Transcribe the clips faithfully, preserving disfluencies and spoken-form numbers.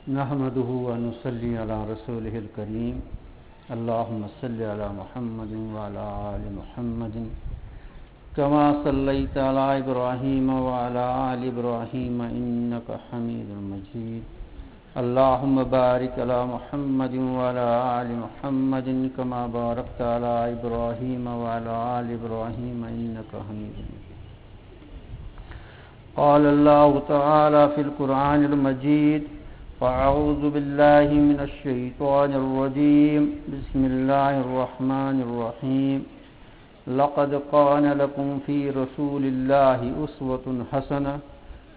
نحمده ونصلي على رسوله الكريم. اللهم صل على محمد وعلى آل محمد كما صليت على إبراهيم وعلى آل إبراهيم إنك حميد مجيد. اللهم بارك على محمد وعلى آل محمد كما باركت على إبراهيم وعلى آل إبراهيم إنك حميد مجيد. قال الله تعالى في القرآن المجيد: فأعوذ بالله من الشيطان الرجيم. بسم الله الرحمن الرحيم. لقد كان لكم في رسول الله أسوة حسنة.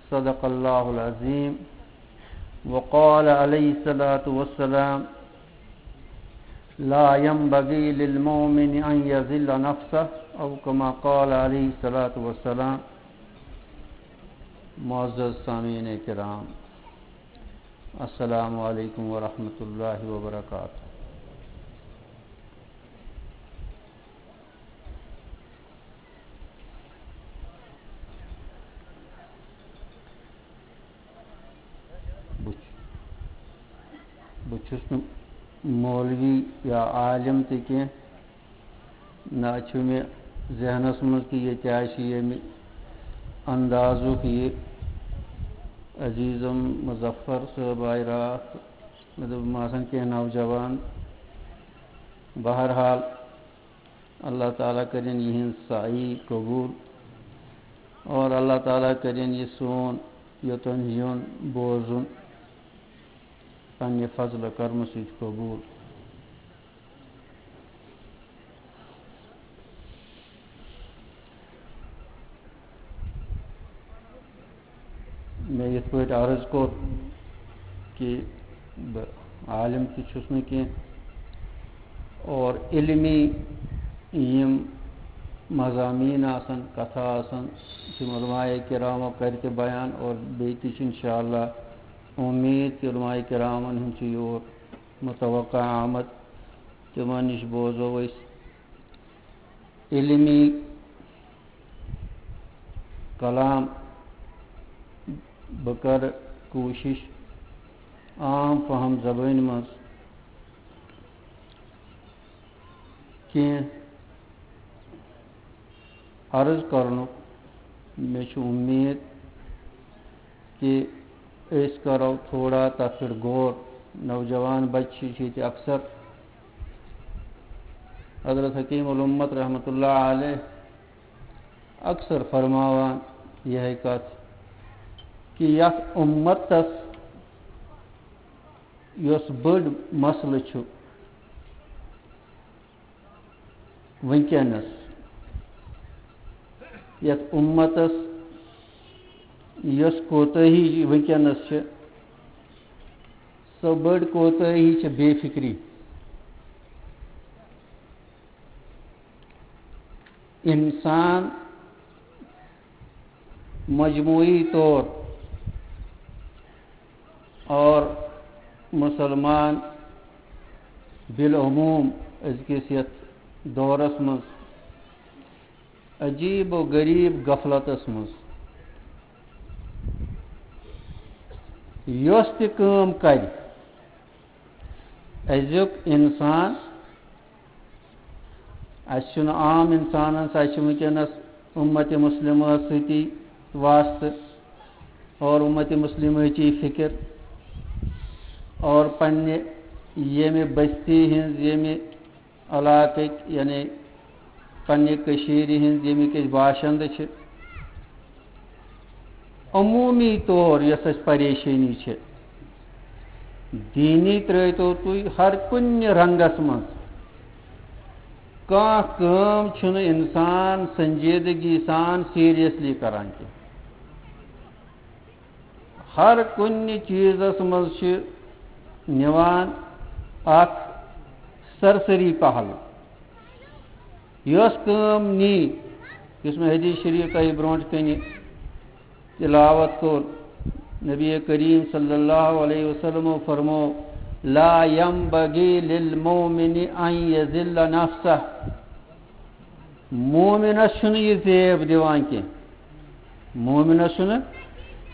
صدق الله العظيم. وقال عليه الصلاة والسلام: لا ينبغي للمؤمن أن يذل نفسه، أو كما قال عليه الصلاة والسلام. معزز سامعین کرام، السلام علیکم ورحمۃ اللہ وبرکاتہ۔ بہٕ چھُ-، بہٕ چھُس نہٕ مولوی یا عالم تہِ کینٛہہ، نہ چھُ مےٚ ذہنَس منٛز کہِ ییٚتہِ آسہِ ییٚمہِ اندازُک یہِ عزیزم مظفر صٲب آیہِ راتھ، مےٚ دوٚپ، یِم آسَن کینٛہہ نوجوان۔ بہرحال، اللہ تعالیٰ کٔرِن یِہِنٛز سعی قبوٗل اور اللہ تعالیٰ کٔرِن یہِ سون یوٚتَن یُن بوزُن پنٛنہِ فضلہٕ کرمہٕ سۭتۍ قبوٗل۔ مےٚ یِتھ پٲٹھۍ عرض کوٚر کہِ بہٕ عالم تہِ چھُس نہٕ کینٛہہ، اور علمی یِم مضامین آسَن، کتھٕ آسَن، تِم علماء کرامو کَرِ تہِ بیان، اور بیٚیہِ تہِ چھِ انشاءاللہ اُمید کہِ علماء کرامن ہُنٛد چھُ یور متوقع آمد، تِمن نِش بوزو أسۍ علمی کلام۔ بہٕ کرٕ کوٗشِش عام فہم زبٲنۍ منٛز کینٛہہ عرض کرنُک۔ مےٚ چھُ اُمید کہِ أسۍ کرو تھوڑا تَتھ پٮ۪ٹھ غور۔ نوجوان بچہٕ چھِ ییٚتہِ اکثر، حضرت حکیم الامت رحمتہ اللہ علیہ اکثر فرماوان یِہے کتھ کہِ یتھ امتس یۄس بٔڑ مسلہٕ چھُ وٕنکیٚنَس، یَتھ اُمتَس یۄس کوتٲہی وٕنکیٚنَس چھِ، سۄ بٔڑ کوتٲہی چھِ بے فِکری۔ اِنسان مجموعی طور اور مسلمان بالعموم أزکِس یَتھ دورس منٛز عجیب و غریب غفلتس منٛز یۄس تہِ کٲم کرِ، أزیُک اِنسان، اَسہِ چھُنہٕ عام اِنسانَس، اَسہِ چھُ وٕنکیٚنَس اُمتِ مُسلِمہ سۭتی واسطہٕ اور اُمتِ مُسلِمٕچی فِکِر اور پنٛنہِ ییٚمہِ بستی ہِنٛز، ییٚمہِ علاقٕکۍ، یعنی پنٛنہِ کٔشیٖرِ ہِنٛز، ییٚمِکۍ أسۍ باشندٕ چھِ، عموٗمی طور یۄس اَسہِ پریشٲنی چھِ، دیٖنی ترٛٲوۍتو تُہۍ ہر کُنہِ رنٛگس منٛز۔ کانٛہہ کٲم چھُنہٕ اِنسان سنجیدگی سان، seriously کران کینٛہہ۔ ہر کُنہِ چیٖزس منٛز چھِ نِوان اکھ سرسری پہلو۔ یۄس کٲم نی، یُس مےٚ حدیث شریف تۄہہِ برونٛٹھ کنہِ تلاوت کوٚر، نبی کریم صلی اللہ علیہ وسلمو فرمو، "لا ينبغي للمؤمن أن يذل نفسه۔" مومنس چھُنہٕ یہِ زیب دِوان کینٛہہ۔ مومنس چھُنہٕ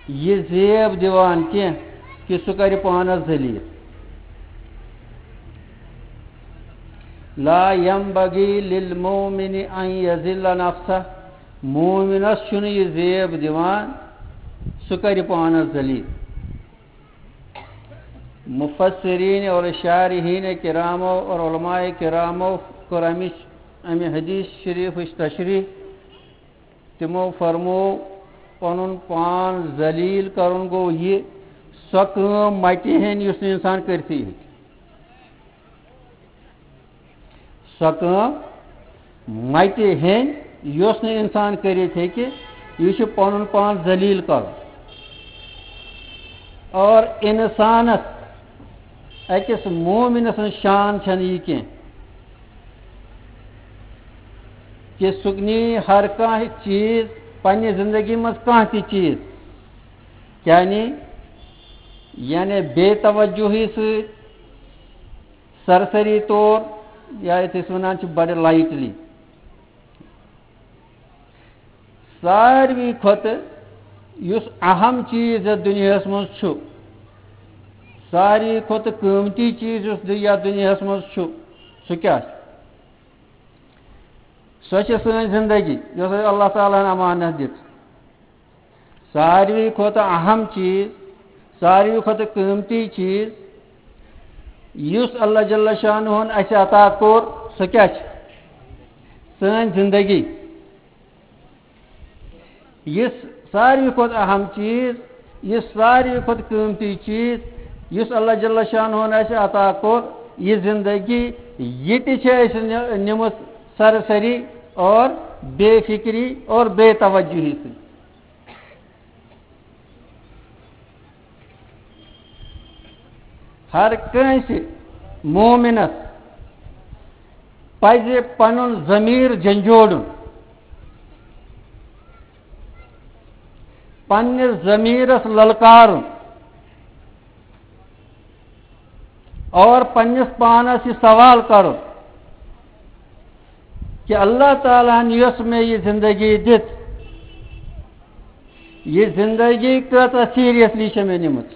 یہِ زیب دِوان کینٛہہ کہِ سُہ کرِ پانس ذلیل۔ لا ينبغي للمؤمن أن يذل نفسه۔ مومنس چھُنہٕ یہِ زیب دِوان سُہ کرِ پانس ذلیل۔ مفسرین اور شارحین کرامو اور علماء کرامو کٔر امِچ، امہِ حدیث شریفٕچ تشریح۔ تِمو فرمو، پنُن پان ذلیل کرُن گوٚو یہِ، سۄ کٲم متہِ ہیٚنۍ یُس نہٕ انسان کٔرتھٕے ہیٚکہِ۔ سۄ کٲم متہِ ہیٚنۍ یۄس نہٕ انسان کٔرِتھ ہیٚکہِ، یہِ چھُ پنُن پان ذلیل کرُن۔ اور انسانس، أکِس مومنہٕ سٕنٛز شان چھنہٕ یہِ کینٛہہ کہِ سُہ نی ہر کانٛہہ چیٖز پننہِ زندگی منٛز، کانٛہہ تہِ چیٖز، یعنی، یعنی بے توجہی سۭتۍ، سرسری طور، یا یتھ أسۍ ونان چھِ بڑٕ lightly۔ ساروی کھۄتہٕ یُس اہم چیٖز یتھ دُنیاہس منٛز چھُ، ساروی کھۄتہٕ قۭمتی چیٖز یُس دُ-، یتھ دُنیاہس منٛز چھُ، سُہ کیٛاہ چھُ؟ سۄ چھِ سٲنۍ زندگی، یۄس اَسہِ اللہ تعالیٰ ہن امانت دِژ۔ ساروی کھۄتہٕ اہم چیٖز، ساروی کھۄتہٕ قۭمتی چیٖز، یُس اللہ جل شانہ ہن اَسہِ عطا کوٚر، سۄ کیٛاہ چھِ؟ سٲنۍ زندگی۔ یُس ساروی کھۄتہٕ اہم چیٖز، یُس ساروی کھۄتہٕ قۭمتی چیٖز، یُس اللہ جل شانہ ہن اَسہِ عطا کوٚر، یہِ زندگی، یہِ تہِ چھِ اَسہِ نِ-، نِمٕژ سرسری اور بے فکری اور بے توجہی سۭتۍ۔ ہر کٲنٛسہِ مومنس پزِ پنُن ضمیر جنجوڑُن، پننِس ضمیرس للکارُن اور پننِس پانس یہِ سوال کرُن کہ اللہ تعالیٰ ہن یۄس مےٚ یہِ زندگی دِژ، یہِ زندگی کۭژاہ seriously چھےٚ مےٚ نِمٕژ؟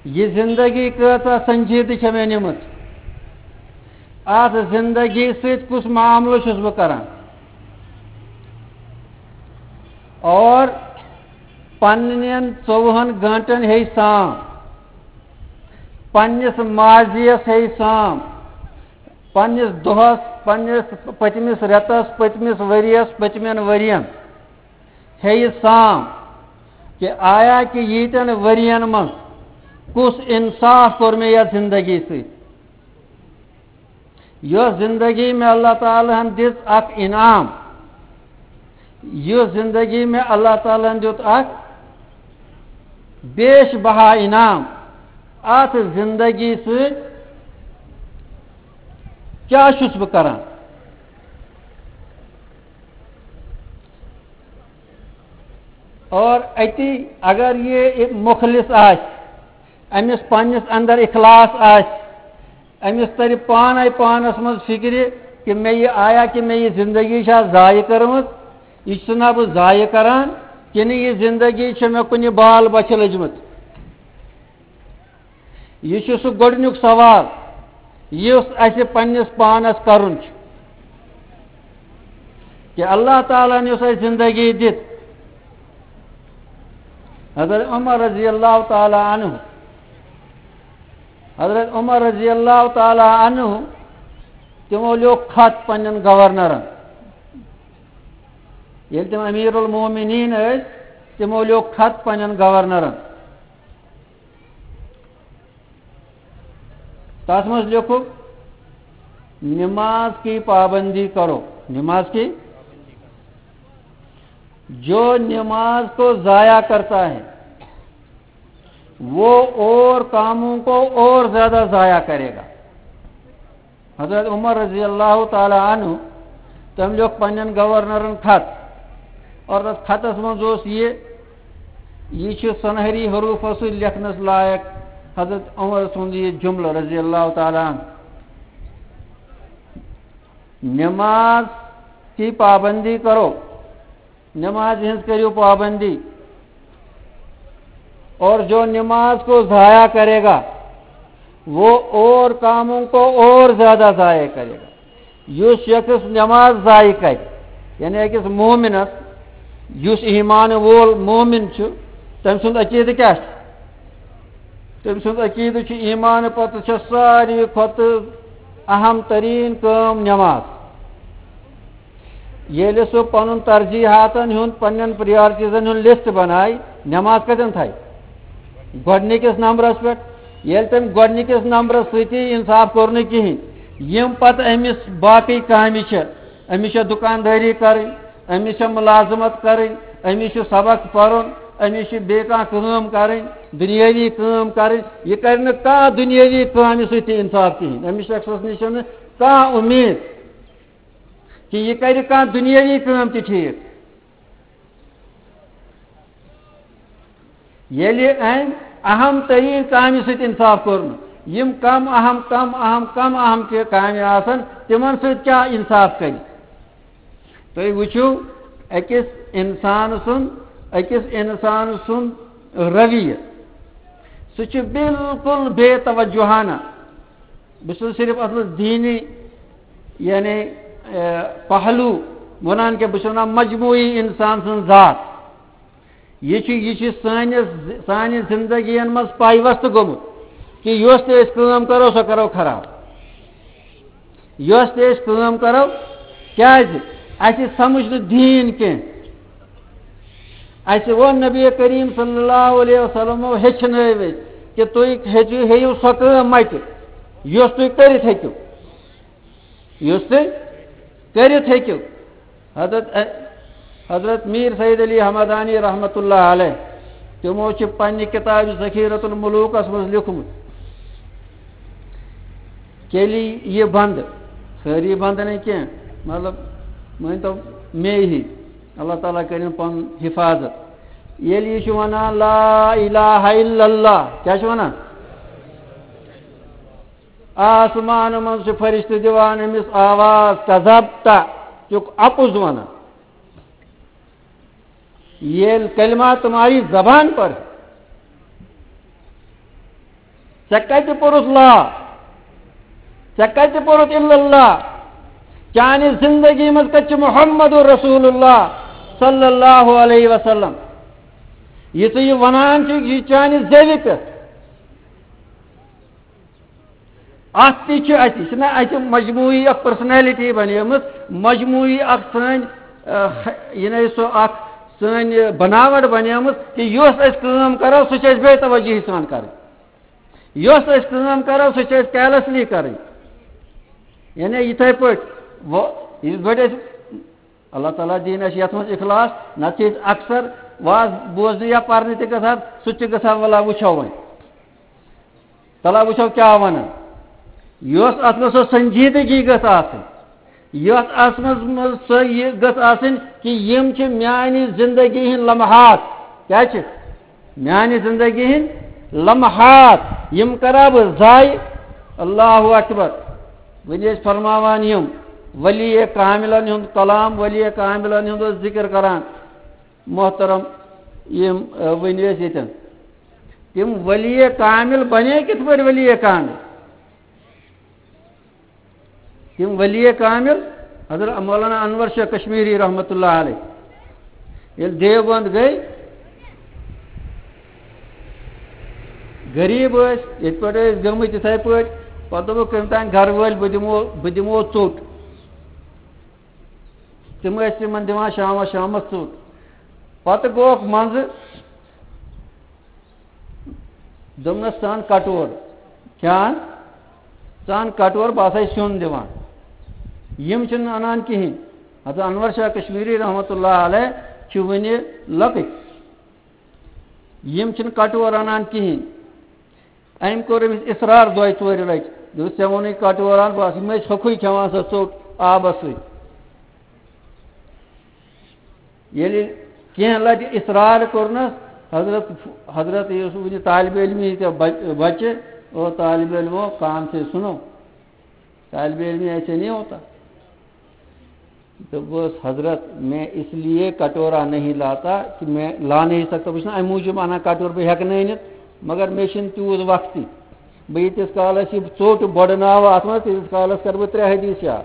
یہِ زندگی کۭژاہ سنجیدٕ چھےٚ مےٚ نِمٕژ؟ اتھ زندگی سۭتۍ کُس معاملہٕ چھُس بہٕ کران؟ اور پننٮ۪ن ژوٚوُہن گٲنٹن ہے سام، پننِس ماضیس ہے سام، پننِس دۄہس، پننِس پٔتمِس رٮ۪تس، پٔتمِس ؤرۍیس، پٔتمٮ۪ن ؤرۍین ہے یہِ سام کہِ آیا کہِ ییٖتٮ۪ن ؤرۍین منٛز کُس انصاف کوٚر مےٚ یتھ زندگی سۭتۍ؟ یۄس زندگی مےٚ اللہ تعالیٰ ہن دِژ اکھ انعام، یُس زندگی مےٚ اللہ تعالیٰ ہن دیُت اکھ بیش بہا انعام، اتھ زندگی سۭتۍ کیٛاہ چھُس بہٕ کران؟ اور اتی اگر یہِ مخلص آسہِ، أمِس پننِس اندر اخلاص آسہِ، أمِس ترِ پانے پانس منٛز فکرِ کہ مےٚ یہِ آیا کہ مےٚ یہِ زندگی چھا ضایع کٔرمٕژ، یہِ چھُس نا بہٕ ضایع کران، کِنہٕ یہِ زندگی چھےٚ مےٚ کُنہِ بال بۄچھِ لٔجمٕژ؟ یہِ چھُ سُہ گۄڈٕنیُک سوال یُس اَسہِ پننِس پانس کرُن چھُ کہ اللہ تعالیٰ ہن یۄس اَسہِ زندگی دِژ، حضرت عمر رضی اللہ تعالیٰ عنہ، حضرت عمر رضی اللہ تعالیٰ عنہ، تِمو لیوٚکھ خط پننٮ۪ن گورنرن۔ ییٚلہِ تِم امیر المومنین ٲسۍ، تِمو لیوٚکھ خط پننٮ۪ن گورنرن۔ تَتھ منٛز لیوٚکھُکھ، "نماز کی پابندی کرو، نماز کی، جو نماز کو ضائع کرتا ہے، وہ اور کاموں کو اور زیادہ ضائع کرے گا۔ حضرت عمر رضی اللہ تعالیٰ عنہ، تم لیوکھ پنن گورنرن خط، اور تتھ خطس منٛز اوس یہ، یہ چھُ سنہری حروفو سۭتۍ لیکھنس لائق حضرت عمر سُنٛد یہ جملہ رضی اللہ تعالیٰ عنہ۔ نماز کی پابندی کرو، نماز ہنز کریو پابندی، اور جو نماز کو ضائع کرے گا، وہ اور کاموں کو اور زیادہ ضائع کرے گا۔ یُس شخص نماز ضائع کرِ، یعنی أکِس مومنس، یُس ایمان وول مومن چھُ، تٔمۍ سُنٛد عقیدٕ کیٛاہ چھُ؟ تٔمۍ سُنٛد عقیدٕ چھُ، ایمان پتہٕ چھےٚ ساروی کھۄتہٕ اہم تریٖن کٲم نماز۔ ییٚلہِ سُہ پنُن ترجیحاتن ہُنٛد، پننٮ۪ن پریارٹیزن ہُنٛد لسٹ بنایہِ، نماز کتٮ۪ن تھایہِ؟ گۄڈنِکِس نمبرس پٮ۪ٹھ۔ ییٚلہِ تٔمۍ گۄڈنِکِس نمبرس سۭتی انصاف کوٚر نہٕ کِہیٖنۍ، یِم پتہٕ أمِس باقٕے کامہِ چھِ، أمِس چھےٚ دُکاندٲری کرٕنۍ، أمِس چھےٚ مُلازمت کرٕنۍ، أمِس چھُ سبق پرُن، أمِس چھِ بیٚیہِ کانٛہہ کٲم کرٕنۍ، دُنیٲوی کٲم کرٕنۍ۔ یہِ کرِ نہٕ کانٛہہ دُنیٲوی کامہِ سۭتۍ تہِ انصاف کِہیٖنۍ۔ أمِس شخصس نِش چھَنہٕ کانٛہہ اُمید کہِ یہِ کرِ کانٛہہ دُنیٲوی کٲم تہِ ٹھیٖک۔ ییٚلہِ أمۍ اہم تریٖن کامہِ سۭتۍ انصاف کوٚر نہٕ، یِم کم اہم، کم اہم، کم اہم کہِ کامہِ آسن، تِمن سۭتۍ کیٛاہ انصاف کرِ؟ تُہۍ وٕچھِو، أکِس اِنسان سُنٛد، أکِس اِنسان سُنٛد رویہ، سُہ چھُ بالکل بے توجہانہ۔ بہٕ چھُس صرف اَتھ منٛز دیٖنی، یعنی، اے، پہلو وَنان کہِ بہٕ چھُس وَنان مجموعی اِنسان سٕنٛز ذات۔ یہِ چھُ، یہِ چھُ سٲنِس، سانہِ زِندگیَن منٛز پایوستہٕ گوٚمُت کہِ یۄس تہِ أسۍ کٲم کَرو، سۄ کَرو خراب۔ یۄس تہِ أسۍ کٲم کَرو، کیٛازِ؟ اَسہِ سَمٕجھ نہٕ دیٖن کینٛہہ۔ اَسہِ ووٚن نبی کریم صلی اللہ علیہ وسلمو ہیٚچھنٲوۍ أسۍ کہِ تُہۍ ہیٚچھِو، ہیٚیِو سۄ کٲم مَتہِ، یۄس تُہۍ کٔرِتھ ہیٚکِو۔ یُس تُہۍ کٔرِتھ ہیٚکِو۔ حضرت، حضرت میر سید علی حمدانی رحمتہ اللہ علیہ، تِمو چھِ پننہِ کِتابہِ ذخیرۃ الملوکس منٛز لیوٗکھمُت، کیلی یہ بند، سٲری بند نہٕ کینٛہہ، مطلب، مٲنۍ تو مے ہی، اللہ تعالیٰ کٔرِن پنُن حفاظت۔ ییٚلہِ یہِ چھُ ونان، "لا الہ الا اللہ"، کیٛاہ چھُ ونان؟ آسمان منٛز چھِ فرشتہٕ دِوان أمِس آواز، "کذبت"، ژٕ چھُکھ اَپُز وَنان۔ ییٚلہِ کلمہ تمہاری زبان پر، ژےٚ کَتہِ پوٚرُتھ لا؟ ژےٚ کَتہِ پوٚرُتھ الا اللہ؟ چانہِ زندگی منٛز کَتہِ چھُ محمد رسول اللہ صلی اللہ علیہ وسلم؟ یہِ ژٕ یہِ وَنان چھُکھ، یہِ چانہِ زیوِ پٮ۪ٹھ۔ اتھ تہِ چھُ اَسہِ، یہِ چھُنہ اَسہِ مجموعی اکھ personality بنیمٕژ، مجموعی اکھ سٲنۍ، آ، یہِ نَے سۄ اکھ سٲنۍ بناوٹ بنیمٕژ کہِ یۄس أسۍ کٲم کرو، سُہ چھِ أسۍ بے توجہی سان کرٕنۍ۔ یۄس أسۍ کٲم کرو، سُہ چھِ أسۍ carelessly کرٕنۍ۔ یعنی یِتھے پٲٹھۍ، وۄ-، یِتھ پٲٹھۍ أسۍ اللہ تعالیٰ دِیِن اَسہِ یَتھ منٛز اِخلاص، نَتہٕ چھِ أسۍ اکثر واز بوزنہِ یا پَرنہِ تہِ گژھان، سُہ تہِ چھِ گژھان، وَلہٕ وٕچھو وۄنۍ۔ تَلہٕ وٕچھو کیٛاہ وَنان۔ یۄس اَتھ منٛز سۄ سنجیدگی گٔژھ آسٕنۍ، یۄس اَتھ منٛز، منٛز سۄ یہِ گٔژھ آسٕنۍ کہِ یِم چھِ میٛانہِ زندگی ہِنٛدۍ لمحات۔ کیٛاہ چھِ؟ میانہِ زندگی ہٕنٛدۍ لمحات، یِم کرا بہٕ ضایع؟ اللہ اکبر۔ وۄنۍ ٲسۍ فرماوان یِم ولی کاملن ہُنٛد کلام، ولی کاملن ہُنٛد اوس ذکر کران محترم۔ یِم، ٲ، وۄنۍ ٲسۍ ییٚتٮ۪ن۔ تِم ولی کامل بنے کِتھ پٲٹھۍ ولی کامل؟ تِم ولی کامل حضرت مولانا انور شاہ کشمیری رحمتہ اللہ علیہ ییٚلہِ دیوبند گٔے، غریٖب ٲسۍ، یِتھ پٲٹھۍ ٲسۍ گٔمٕتۍ تِتھے پٲٹھۍ۔ پتہٕ دوٚپُکھ، "کٔمۍ تام گرٕ وٲلۍ، بہٕ دِمو، بہٕ دِمو ژوٚٹ۔" تِم ٲسۍ تِمن دِوان شامس، شامس ژوٚٹ۔ پتہٕ گوکھ منٛزٕ، دوٚپنَس، "ژٕ اَن کَٹور، کیٛاہ اَن؟ ژٕ اَن کَٹور، بہٕ آسَے سیُن دِوان۔" یِم چھِنہٕ اَنان کِہیٖنۍ۔ حضرت انور شاہ کشمیری رحمتہ اللہ علیہ چھِ وٕنہِ لۄکٕٹۍ۔ یِم چھِنہٕ کٹور اَنان کِہیٖنۍ۔ أمۍ کوٚر أمِس اصرار دۄیہِ ژورِ لَٹہِ۔ دوٚپُس، "ژےٚ ووٚنُے کٹور اَن، بَس، یِم ٲسۍ ہوٚکھُے کھٮ۪وان سۄ ژوٚٹ آبَس سۭتۍ۔" ییٚلہِ کینٛہہ لَٹہِ اصرار کوٚرنَس، حضرت، حضرت یُس وٕنہِ طالبِ علمی تہِ بَچ-، بَچہِ، او طالبِ علمو، کان سے سُنو، طالبِ علمی ایسے نہیں ہوتا۔ دوٚپُس، "حضرت، میں اس لیے کٹورا نہیں لاتا کہ میں لا نہیں سکتا۔" بہٕ چھُس نہٕ اَمہِ موٗجوٗب اَنان کٹور، بہٕ ہٮ۪کہٕ نہٕ أنِتھ، مگر مےٚ چھُنہٕ تیوٗت وقتٕے۔ بہٕ ییٖتِس کالَس یہِ ژوٚٹ بۄڈٕ ناوٕ اَتھ منٛز، تیٖتِس کالَس کَرٕ بہٕ ترٛےٚ حدیٖث یاد۔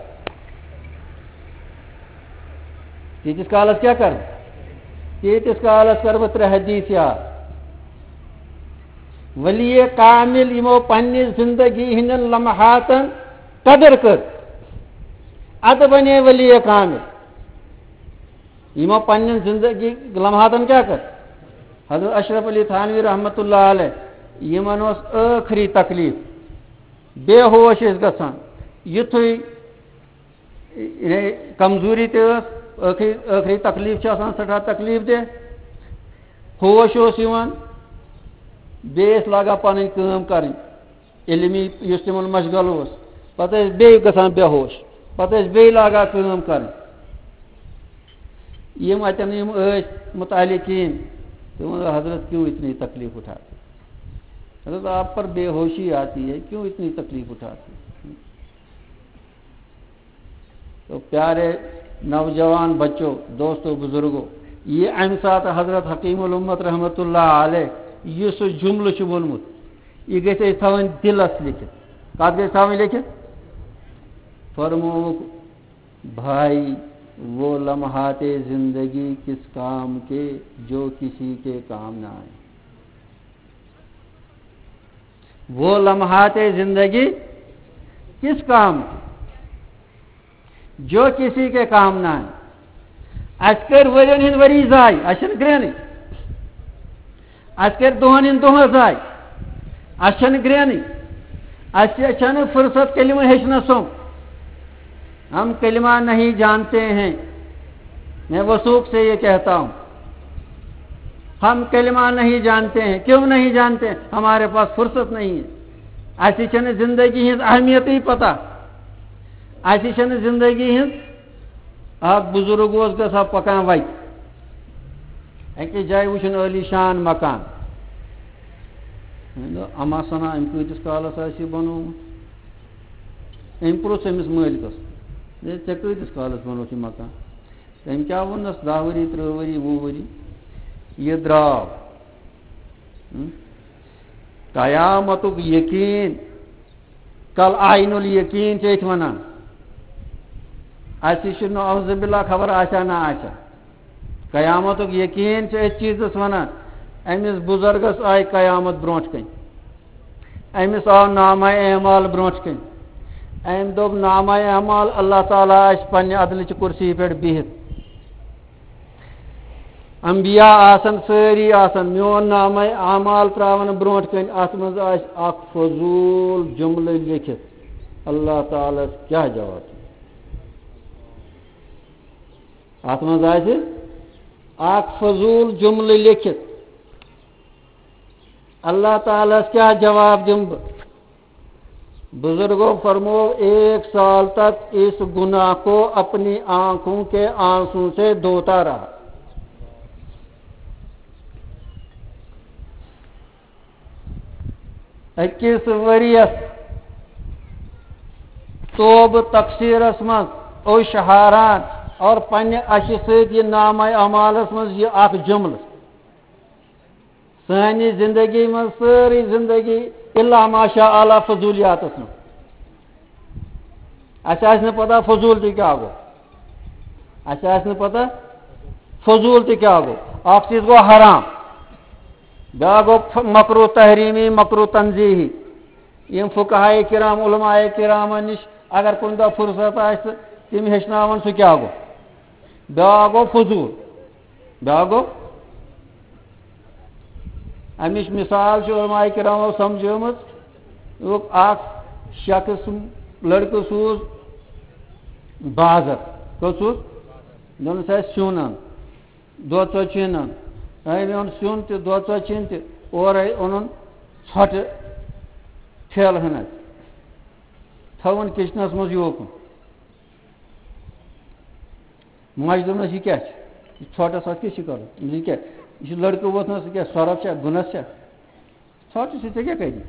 تیٖتِس کالَس کیٛاہ کَرٕ بہٕ؟ تیٖتِس کالَس کَرٕ بہٕ ترٛےٚ حدیٖث یاد۔ ولی کامل یِمو پننہِ زندگی ہٕنٛدٮ۪ن لمحاتن قدر کٔر، ادٕ بنے ولی کامل۔ یِمو پننٮ۪ن زندگی لمحاتن کیٛاہ کٔر؟ حضرت اشرف علی تھانوی رحمتہ اللہ علیہ، یِمن اوس ٲخری تکلیف، بے ہوش ٲسۍ گژھان، یُتھُے یعنی کمزوری تہِ ٲس، ٲخری، ٲخری تکلیٖف چھِ آسان، سٮ۪ٹھاہ تکلیٖف دہ۔ ہوش اوس یِوان، بیٚیہِ ٲسۍ لاگان پنٕنۍ کٲم کرٕنۍ، علمی یُس تِمن مشغل اوس۔ پتہٕ ٲسۍ بیٚیہِ گژھان بے ہوش، پتہٕ ٲسۍ بیٚیہِ لاگان کٲم کرٕنۍ۔ یِم اتٮ۪ن یِم ٲسۍ متعلقیٖن، تِمو دوٚپ، "حضرت کیوں اتنی تکلیف اٹھاتے؟ حضرت آپ پر بے ہوشی آتی ہے، کیوں اتنی تکلیف اٹھاتے ہیں؟" تو پیارے نوجوان بچو، دوستو، بزرگو، یہِ اَمہِ ساتہٕ حضرت حکیم الامت رحمتہ اللہ علیہ یُس سُہ جملہٕ چھُ ووٚنمُت، یہِ گژھِ اَسہِ تھاوٕنۍ دِلس لیکھِتھ۔ کَتھ گژھِ تھاوٕنۍ لیکھِتھ؟ فرمووُکھ، "بھائی، وہ لمحات زندگی کس کام کے جو کسی کے کام نہ آئے۔" وہ لمحات زندگی کس کام کی، جو کسی کے کام نہ آئے۔ اَسہِ کٔرۍ ؤرین ہٕنٛدۍ ؤری ضایع، اَسہِ چھَنہٕ گرٛینٕے۔ اَسہِ کٔرۍ دۄہن ہٕنٛدۍ دۄہ ضایع، اَسہِ چھَنہٕ گرٛینٕے۔ اَسہِ چھَنہٕ فرصت کلمہٕ ہیٚچھنَس سُم۔ ہم کلمہ نہیں جانتے ہیں، میں وثوق سے یہ کہتا ہوں، ہم کلمہ نہیں جانتے ہیں۔ کیوں نہیں جانتے؟ ہمارے پاس فرصت نہیں ہے۔ اَسہِ چھَنہٕ زندگی ہٕنٛز اہمیتٕے پتہ۔ اَسہِ چھَنہٕ زندگی ہٕنٛز، اکھ بزرگ اوس گژھان پکان وتہِ، أکِس جایہِ وٕچھُن عٲلی شان مکان۔ مےٚ دوٚپ، "اما سنا، أمۍ کۭتِس کالس آسہِ یہِ بنوومُت؟" أمۍ پرُژھ أمِس مٲلکس، "ہے، ژےٚ کۭتِس کالس بنووُتھ یہِ مکان؟" تٔمۍ کیٛاہ ووٚننس، "دَہ ؤری، تٕرٛہ ؤری، وُہ ؤری۔" یہِ درٛاو۔ ہم؟ قیامتُک یقین، کل عین الیقین چھِ أسۍ وَنان۔ اَسہِ چھُ نعوذ باللہ خبر آسیا نہ آسیا۔ قیامتُک یقین چھِ أتھۍ چیٖزَس وَنان۔ أمِس بُزرگَس آیہِ قیامت برونٛٹھ کَنہِ۔ أمِس آو نامہ اعمال برونٛٹھ کَنہِ۔ أمۍ دوٚپ، "نامہ اعمال، اللہ تعالیٰ آسہِ پنٛنہِ عدلٕچہِ کُرسی پٮ۪ٹھ بِہِتھ۔" انبیاء آسن، سٲری آسن، میون نامہ اعمال تراون برونٛٹھ کَنہِ، اتھ منٛز آسہِ اکھ فضوٗل جملہٕ لیکھِتھ، اللہ تعالیٰ ہس کیٛاہ جواب دِیہِ؟ اتھ منٛز آسہِ اکھ فضوٗل جملہٕ لیکھِتھ، اللہ تعالیٰ ہس کیٛاہ جواب دِمہٕ بہٕ؟ بزرگوں فرمو، ایک سال تک اس گناہ کو اپنی آنکھوں کے آنسو سے دھوتا رہا۔ أکِس ؤرِیَس توبہٕ تقصیٖرَس منٛز اوٚش ہاران اور پننہِ اَشہِ سۭتۍ یہِ نامہ اعمالَس منٛز یہِ اَکھ جملہٕ۔ سانہِ زندگی منٛز سٲرٕے زندگی الا ماشاء اللہ فضولیاتس منٛز۔ اَسہِ آسہِ نہٕ پتہ فضوٗل تہِ کیٛاہ گوٚو۔ اَسہِ آسہِ نہٕ پتہ فضوٗل تہِ کیٛاہ گوٚو۔ اکھ چیٖز گوٚو حرام، بیٛاکھ گوٚو ف-، مکروہ تحریمی، مکروہ تنزیہی۔ یِم فقہائے کرام، علماء کرامن نِش اگر کُنہِ دۄہ فرصت آسہِ تہٕ تِم ہیٚچھناون سُہ کیٛاہ گوٚو۔ بیٛاکھ گوٚو فضوٗل۔ بیٛاکھ گوٚو، اَمِچ مِثال چھِ علماء کرامو سمجھٲومٕژ، دوٚپُکھ، اکھ شخص، لڑکہٕ سوٗز بازر۔ کوٚت سوٗز؟ دوٚپنَس، "اَسہِ سیُن اَن، دۄد ژۄد چھُ اَنُن۔" أمۍ اوٚن سیُن تہِ، دۄد ژۄچہِ چیٖن تہِ، اورَے اوٚنُن ژھۄٹہٕ ٹھیلہٕ ہنا، تھٲوٕن کِچنَس منٛز یوکُن۔ ماجہِ دوٚپنَس، "یہِ کیٛاہ چھُ؟ یہِ ژھۄٹَس اَتھ کیٛاہ چھِ کَرُن؟ یہِ کیٛاہ؟ یہِ چھُ لٔڑکہٕ ووتھمُت، یہِ کیٛاہ سۄرَپھ چھا، گُنَس چھا؟ ژھۄٹہٕ چھِ، ژےٚ کیٛاہ کَری؟"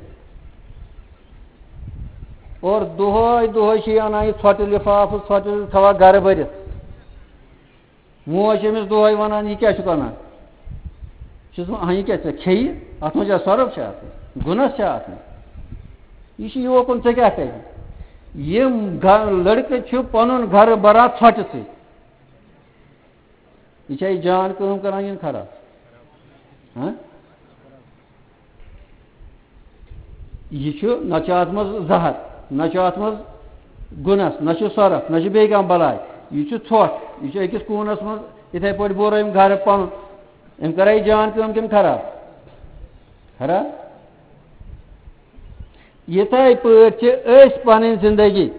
اور دۄہَے دۄہَے چھِ یہِ اَنان یہِ ژھۄٹہٕ لِفافہٕ، ژھۄٹہٕ تھاوان گَرٕ بٔرِتھ۔ موج چھِ أمِس دۄہَے وَنان، "یہِ کیٛاہ چھُکھ اَنان؟" چھُس وَنان، "ہاں، یہِ کیٛاہ ژےٚ کھیٚیہِ؟ اَتھ منٛز چھا سۄرُپھ چھا اَتھ منٛز؟ گُنَس چھا اَتھ منٛز؟ یہِ چھُ یوکُن، ژےٚ کیٛاہ کَرِ؟" یِم گَ-، لٔڑکہٕ چھِ پَنُن گَرٕ بَران ژھۄٹہِ سۭتۍ۔ یہِ چھا یہِ جان کٲم کَران کِنہٕ خراب؟ ہاں؟ یہِ چھُ، نہ چھُ اَتھ منٛز زَہر، نہ چھُ اَتھ منٛز گُنَس، نہ چھُ سۄرَپھ، نہ چھُ بیٚیہِ کانٛہہ بَلاے۔ یہِ چھُ ژھۄٹھ۔ یہِ چھُ أکِس کوٗنَس منٛز، یِتھَے پٲٹھۍ بوٚر أمۍ گَرٕ پَنُن۔ أمۍ کَرا یہِ جان کٲم کِنہٕ خراب؟ خراب۔ یِتھَے پٲٹھۍ چھِ أسۍ پَنٕنۍ زِندگی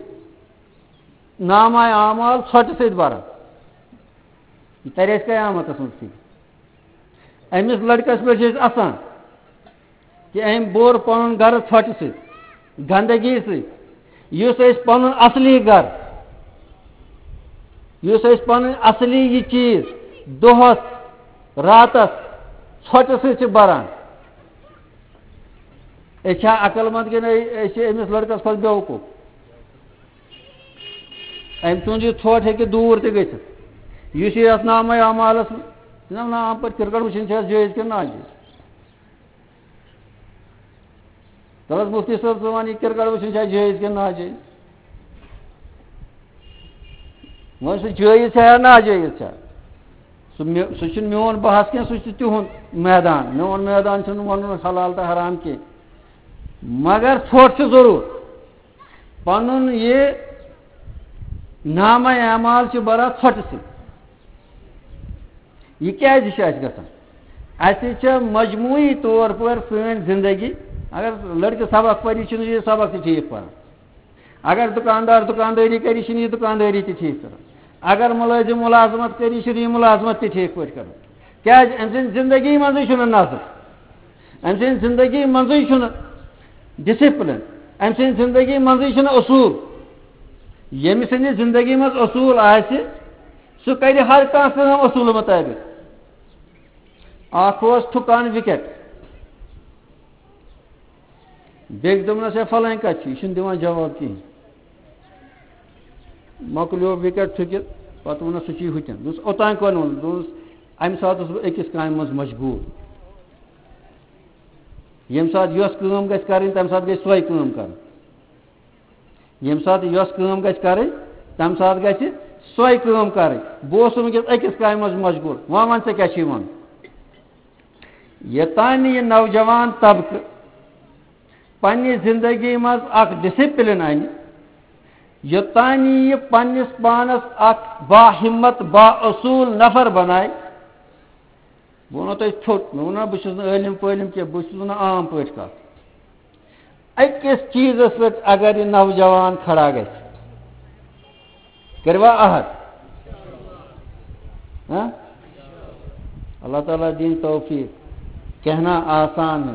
نامہ اعمال ژھۄٹہِ سۭتۍ بَران۔ یہِ تَرِ اَسہِ قیامَتَس منٛز فِکرِ۔ أمِس لٔڑکَس پٮ۪ٹھ چھِ أسۍ اَسان کہِ أمۍ بوٚر پَنُن گَرٕ ژھۄٹہِ سۭتۍ، گنٛدگی سۭتۍ، یُس أسۍ پَنُن اَصلی گَرٕ، یُس أسۍ پَنٕنۍ اَصلی یہِ چیٖز دۄہَس، راتَس ژھۄٹہِ سۭتۍ چھِ بَران۔ أسۍ چھا عقل مند کِنہٕ أسۍ چھِ أمِس لٔڑکَس کھۄتہٕ بیوقوٗف؟ أمۍ سُنٛد یہِ ژھۄٹھ ہیٚکہِ دوٗر تہِ گٔژھِتھ۔ یُس یہِ یَتھ نامہ اعمالَس منٛز، جِناب، نام پٲٹھۍ کِرکٹ وٕچھِنۍ چھِ اَسہِ جٲیِز کِنہٕ ناجٲیِز؟ تَلہٕ حظ مُفتی صٲب، ژٕ وَن، یہِ کِرکٹ وٕچھِنۍ چھِ اَسہِ جٲیِز کِنہٕ ناجٲیِز؟ وۄنۍ سُہ جٲیِز چھا یا ناجٲیِز چھا؟ سُہ مےٚ، سُہ چھُنہٕ میون بحث کینٛہہ، سُہ چھُ تِہُنٛد میدان۔ میون میدان چھُنہٕ وَنُن حلال تہٕ حرام کینٛہہ۔ مگر ژھۄٹھ چھُ ضروٗر۔ پَنُن یہِ نامہ اعمال چھُ بَران ژھۄٹہٕ سۭتۍ۔ یہِ کیٛازِ چھُ اَسہِ گژھان؟ اَسہِ چھےٚ مجموعی طور پر سٲنۍ زندگی، اگر لٔڑکہٕ سبق پَرِ، یہِ چھُنہٕ یہِ سبق تہِ ٹھیٖک پَران۔ اگر دُکاندار دُکاندٲری کَرِ، یہِ چھُنہٕ یہِ دُکاندٲری تہِ ٹھیٖک کَران۔ اگر مُلٲزِم مُلازمت کَرِ، یہِ چھُنہٕ یہِ مُلازمت تہِ ٹھیٖک پٲٹھۍ کَران۔ کیٛازِ؟ أمۍ سٕنٛدِ زندگی منٛزٕے چھُنہٕ نظم۔ أمۍ سٕنٛدِ زندگی منٛزٕے چھُنہٕ ڈسپلن۔ أمۍ سٕنٛدِ زندگی منٛزٕے چھُنہٕ اصوٗل۔ ییٚمہِ سٕنٛدِ زندگی منٛز اصوٗل آسہِ، سُہ کَرِ ہر کانٛہہ کٲم اصوٗلہٕ مُطٲبِق۔ اکھ اوس تھُکان وِکیٹ۔ بیٚکۍ دوٚپنَس، "ہے، فلٲنۍ کَتہِ چھُ؟ یہِ چھُنہٕ دِوان جواب کِہیٖنۍ۔" مۄکلیو وِکیٹ تھُکِتھ، پَتہٕ ووٚنُس، "سُہ چھُے ہُتٮ۪ن۔" دوٚپُس، "اوٚتام کۄنہٕ ووٚن؟" دوٚپُس، "اَمہِ ساتہٕ اوسُس بہٕ أکِس کامہِ منٛز مشغوٗل۔ ییٚمہِ ساتہٕ یۄس کٲم گژھِ کَرٕنۍ، تَمہِ ساتہٕ گژھِ سۄے کٲم کَرٕنۍ۔" ییٚمہِ ساتہٕ یۄس کٲم گژھِ کَرٕنۍ، تَمہِ ساتہٕ گژھِ سۄے کٲم کَرٕنۍ۔ بہٕ اوسُس وٕنکیٚس أکِس کامہِ منٛز مشغوٗل۔ وۄنۍ وَن، ژےٚ کیٛاہ چھُے وَنُن؟ یوٚتام نہٕ یہِ نوجوان طبقہٕ پننہِ زندگی منٛز اکھ ڈسپلن اَنہِ، یوٚتام نہٕ یہِ پننِس پانَس اکھ باہمت، بااصوٗل نفر بنایہِ، بہٕ وَنو تۄہہِ ژھوٚٹ، مےٚ ووٚن نا، بہٕ چھُس نہٕ عٲلِم پٲلِم کینٛہہ، بہٕ چھُس وَنان عام پٲٹھۍ کَتھ۔ أکِس چیٖزَس پٮ۪ٹھ اگر یہِ نوجوان کھڑا گژھِ، کٔرِوا عہد؟ ہاں؟ اللہ تعالیٰ دِنۍ توفیٖق۔ کہنا آسان ہے،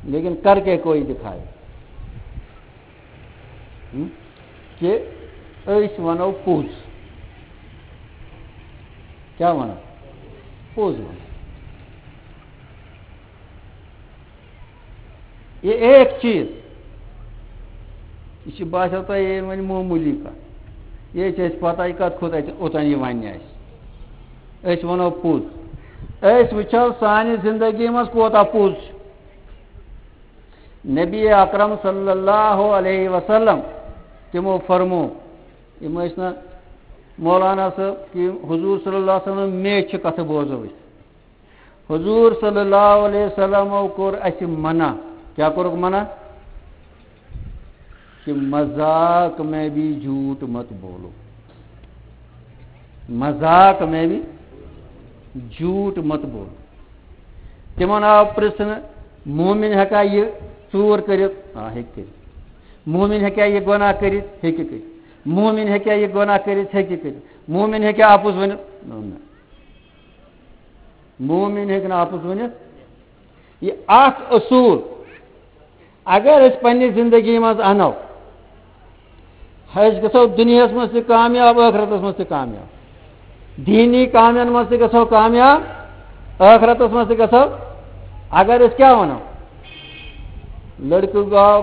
لیکن کر کے کوئی دکھائے۔ ہم؟ کہ أسۍ وَنو پوٚز۔ کیٛاہ وَنو؟ پوٚز وَنو۔ یہ ایک چیٖز، یہِ چھِ باسیو تۄہہِ یہِ وۄنۍ معموٗلی کَتھ۔ یہِ چھِ اَسہِ پَتہ، یہِ کَتھ کھوٚت اَتہِ اوٚتام یہِ وَننہِ اَسہِ۔ أسۍ وَنو پوٚز۔ أسۍ وٕچھو سانہِ زِندگی منٛز کوٗتاہ پوٚز چھُ۔ نبی اکرم صلی اللہ علیہ وسلم تِمو فرمو، یِم ٲسۍ نہٕ مولانا صٲب کہِ حضوٗر صلی اللہ علیہ وسلم میچھِ کَتھٕ بوزو أسۍ۔ حضوٗر صلی اللہ علیہ وسلمو کوٚر اَسہِ منع۔ کیٛاہ کوٚرُکھ منع؟ کہ مذاق میں بھی جھوٹ مت بولو۔ مذاق میں بھی جھوٹ مت بولو۔ تِمن آو پرژھنہٕ، مومن ہیٚکا یہِ ژوٗر کٔرِتھ؟ آ، ہیٚکہِ کٔرِتھ۔ مومن ہیٚکا یہِ گۄناہ کٔرِتھ؟ ہیٚکہِ کٔرِتھ۔ مومن ہیٚکا یہِ گۄناہ کٔرِتھ؟ ہیٚکہِ کٔرِتھ۔ مومن ہیٚکا اپُز ؤنِتھ؟ نہ۔ مومن ہیٚکہِ نہٕ اَپُز ؤنِتھ۔ یہِ اکھ اصوٗل اگر أسۍ پننہِ زندگی منٛز اَنو، أسۍ گژھو دُنیاہَس منٛز تہِ کامیاب، ٲخرتَس منٛز تہِ کامیاب۔ دیٖنی کامٮ۪ن منٛز تہِ گژھو کامیاب، ٲخرتَس منٛز تہِ گژھو۔ اگر أسۍ کیٛاہ وَنو؟ لٔڑکہٕ گوٚو،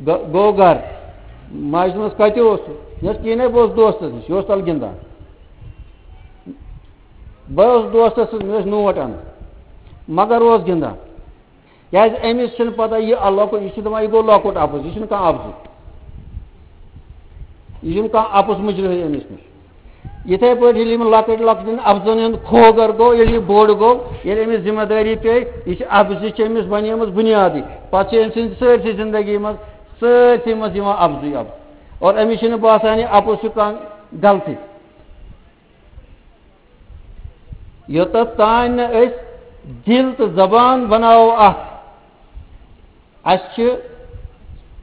گوٚو گَرٕ، ماجہِ دوٚپمَس، "کَتہِ اوسُکھ؟" مےٚ اوس کِہیٖنۍ، بہٕ اوسُس دوستَس نِش، یہِ اوس تَلہٕ گِنٛدان۔ بہٕ اوسُس دوستَس سۭتۍ، مےٚ ٲسۍ نوٹ اَنٕنۍ، مگر اوس گِنٛدان۔ کیٛازِ أمِس چھِنہٕ پَتہ یہِ لۄکُٹ، یہِ چھُ دَپان، یہِ گوٚو لۄکُٹ اَپُز، یہِ چھُنہٕ کانٛہہ اَپزُے۔ یہِ چھُنہٕ کانٛہہ اَپُز مُجرِمٕے أمِس نِش۔ یِتھَے پٲٹھۍ ییٚلہِ یِمَن لۄکٕٹۍ لۄکٹٮ۪ن اَپزَن ہُنٛد کھوگر گوٚو، ییٚلہِ یہِ بوٚڑ گوٚو، ییٚلہِ أمِس ذِمہٕ دٲری پیٚیہِ، یہِ چھِ اَپزِ چھِ أمِس بَنیمٕژ بُنیادٕے۔ پَتہٕ چھِ أمۍ سٕنٛدِ سٲرسٕے زِندگی منٛز، سٲرسٕے منٛز یِوان اَپزُے اَپُز۔ اور أمِس چھِنہٕ باسان یہِ اَپُز چھُ کانٛہہ غلطی۔ یوٚتَتھ تام نہٕ أسۍ دِل تہٕ زبان بناوو اکھ، اَسہِ چھِ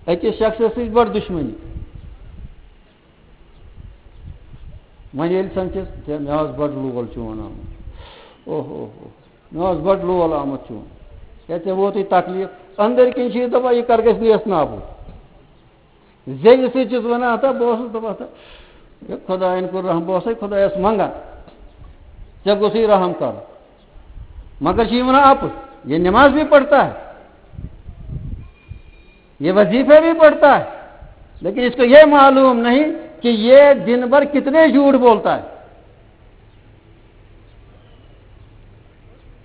أکِس شخصس سۭتۍ بٔڑ دُشمنی۔ وۄنۍ ییٚلہِ سَمکھِس، "ہے، مےٚ اوس بَڑٕ لول چون آمُت۔ اوہ، اوہ، اوہ، مےٚ اوس بَڑٕ لول آمُت چون۔ ہے، ژےٚ ووتُے تکلیٖف۔" أنٛدٕرۍ کِنۍ چھِ یہِ دَپان، "یہِ کَر گژھِ نیس نابوٗد؟" زیٚوِ سۭتۍ چھُس وَنان، ہتا بہٕ اوسُس دَپان، ہتا، ہے خۄدایَن کوٚر رحم، بہٕ اوسَے خۄدایَس منٛگان، ژےٚ گوٚژھُے رحم کَرُن۔ مگر چھِ یہِ وَنان اَپُز، یہ نماز بھی پڑھتا ہے، یہ وظیفہ بھی پڑھتا ہے، لیکن اس کو یہ معلوم نہیں کہ یہ دن بھر کتنے جھوٹ بولتا ہے۔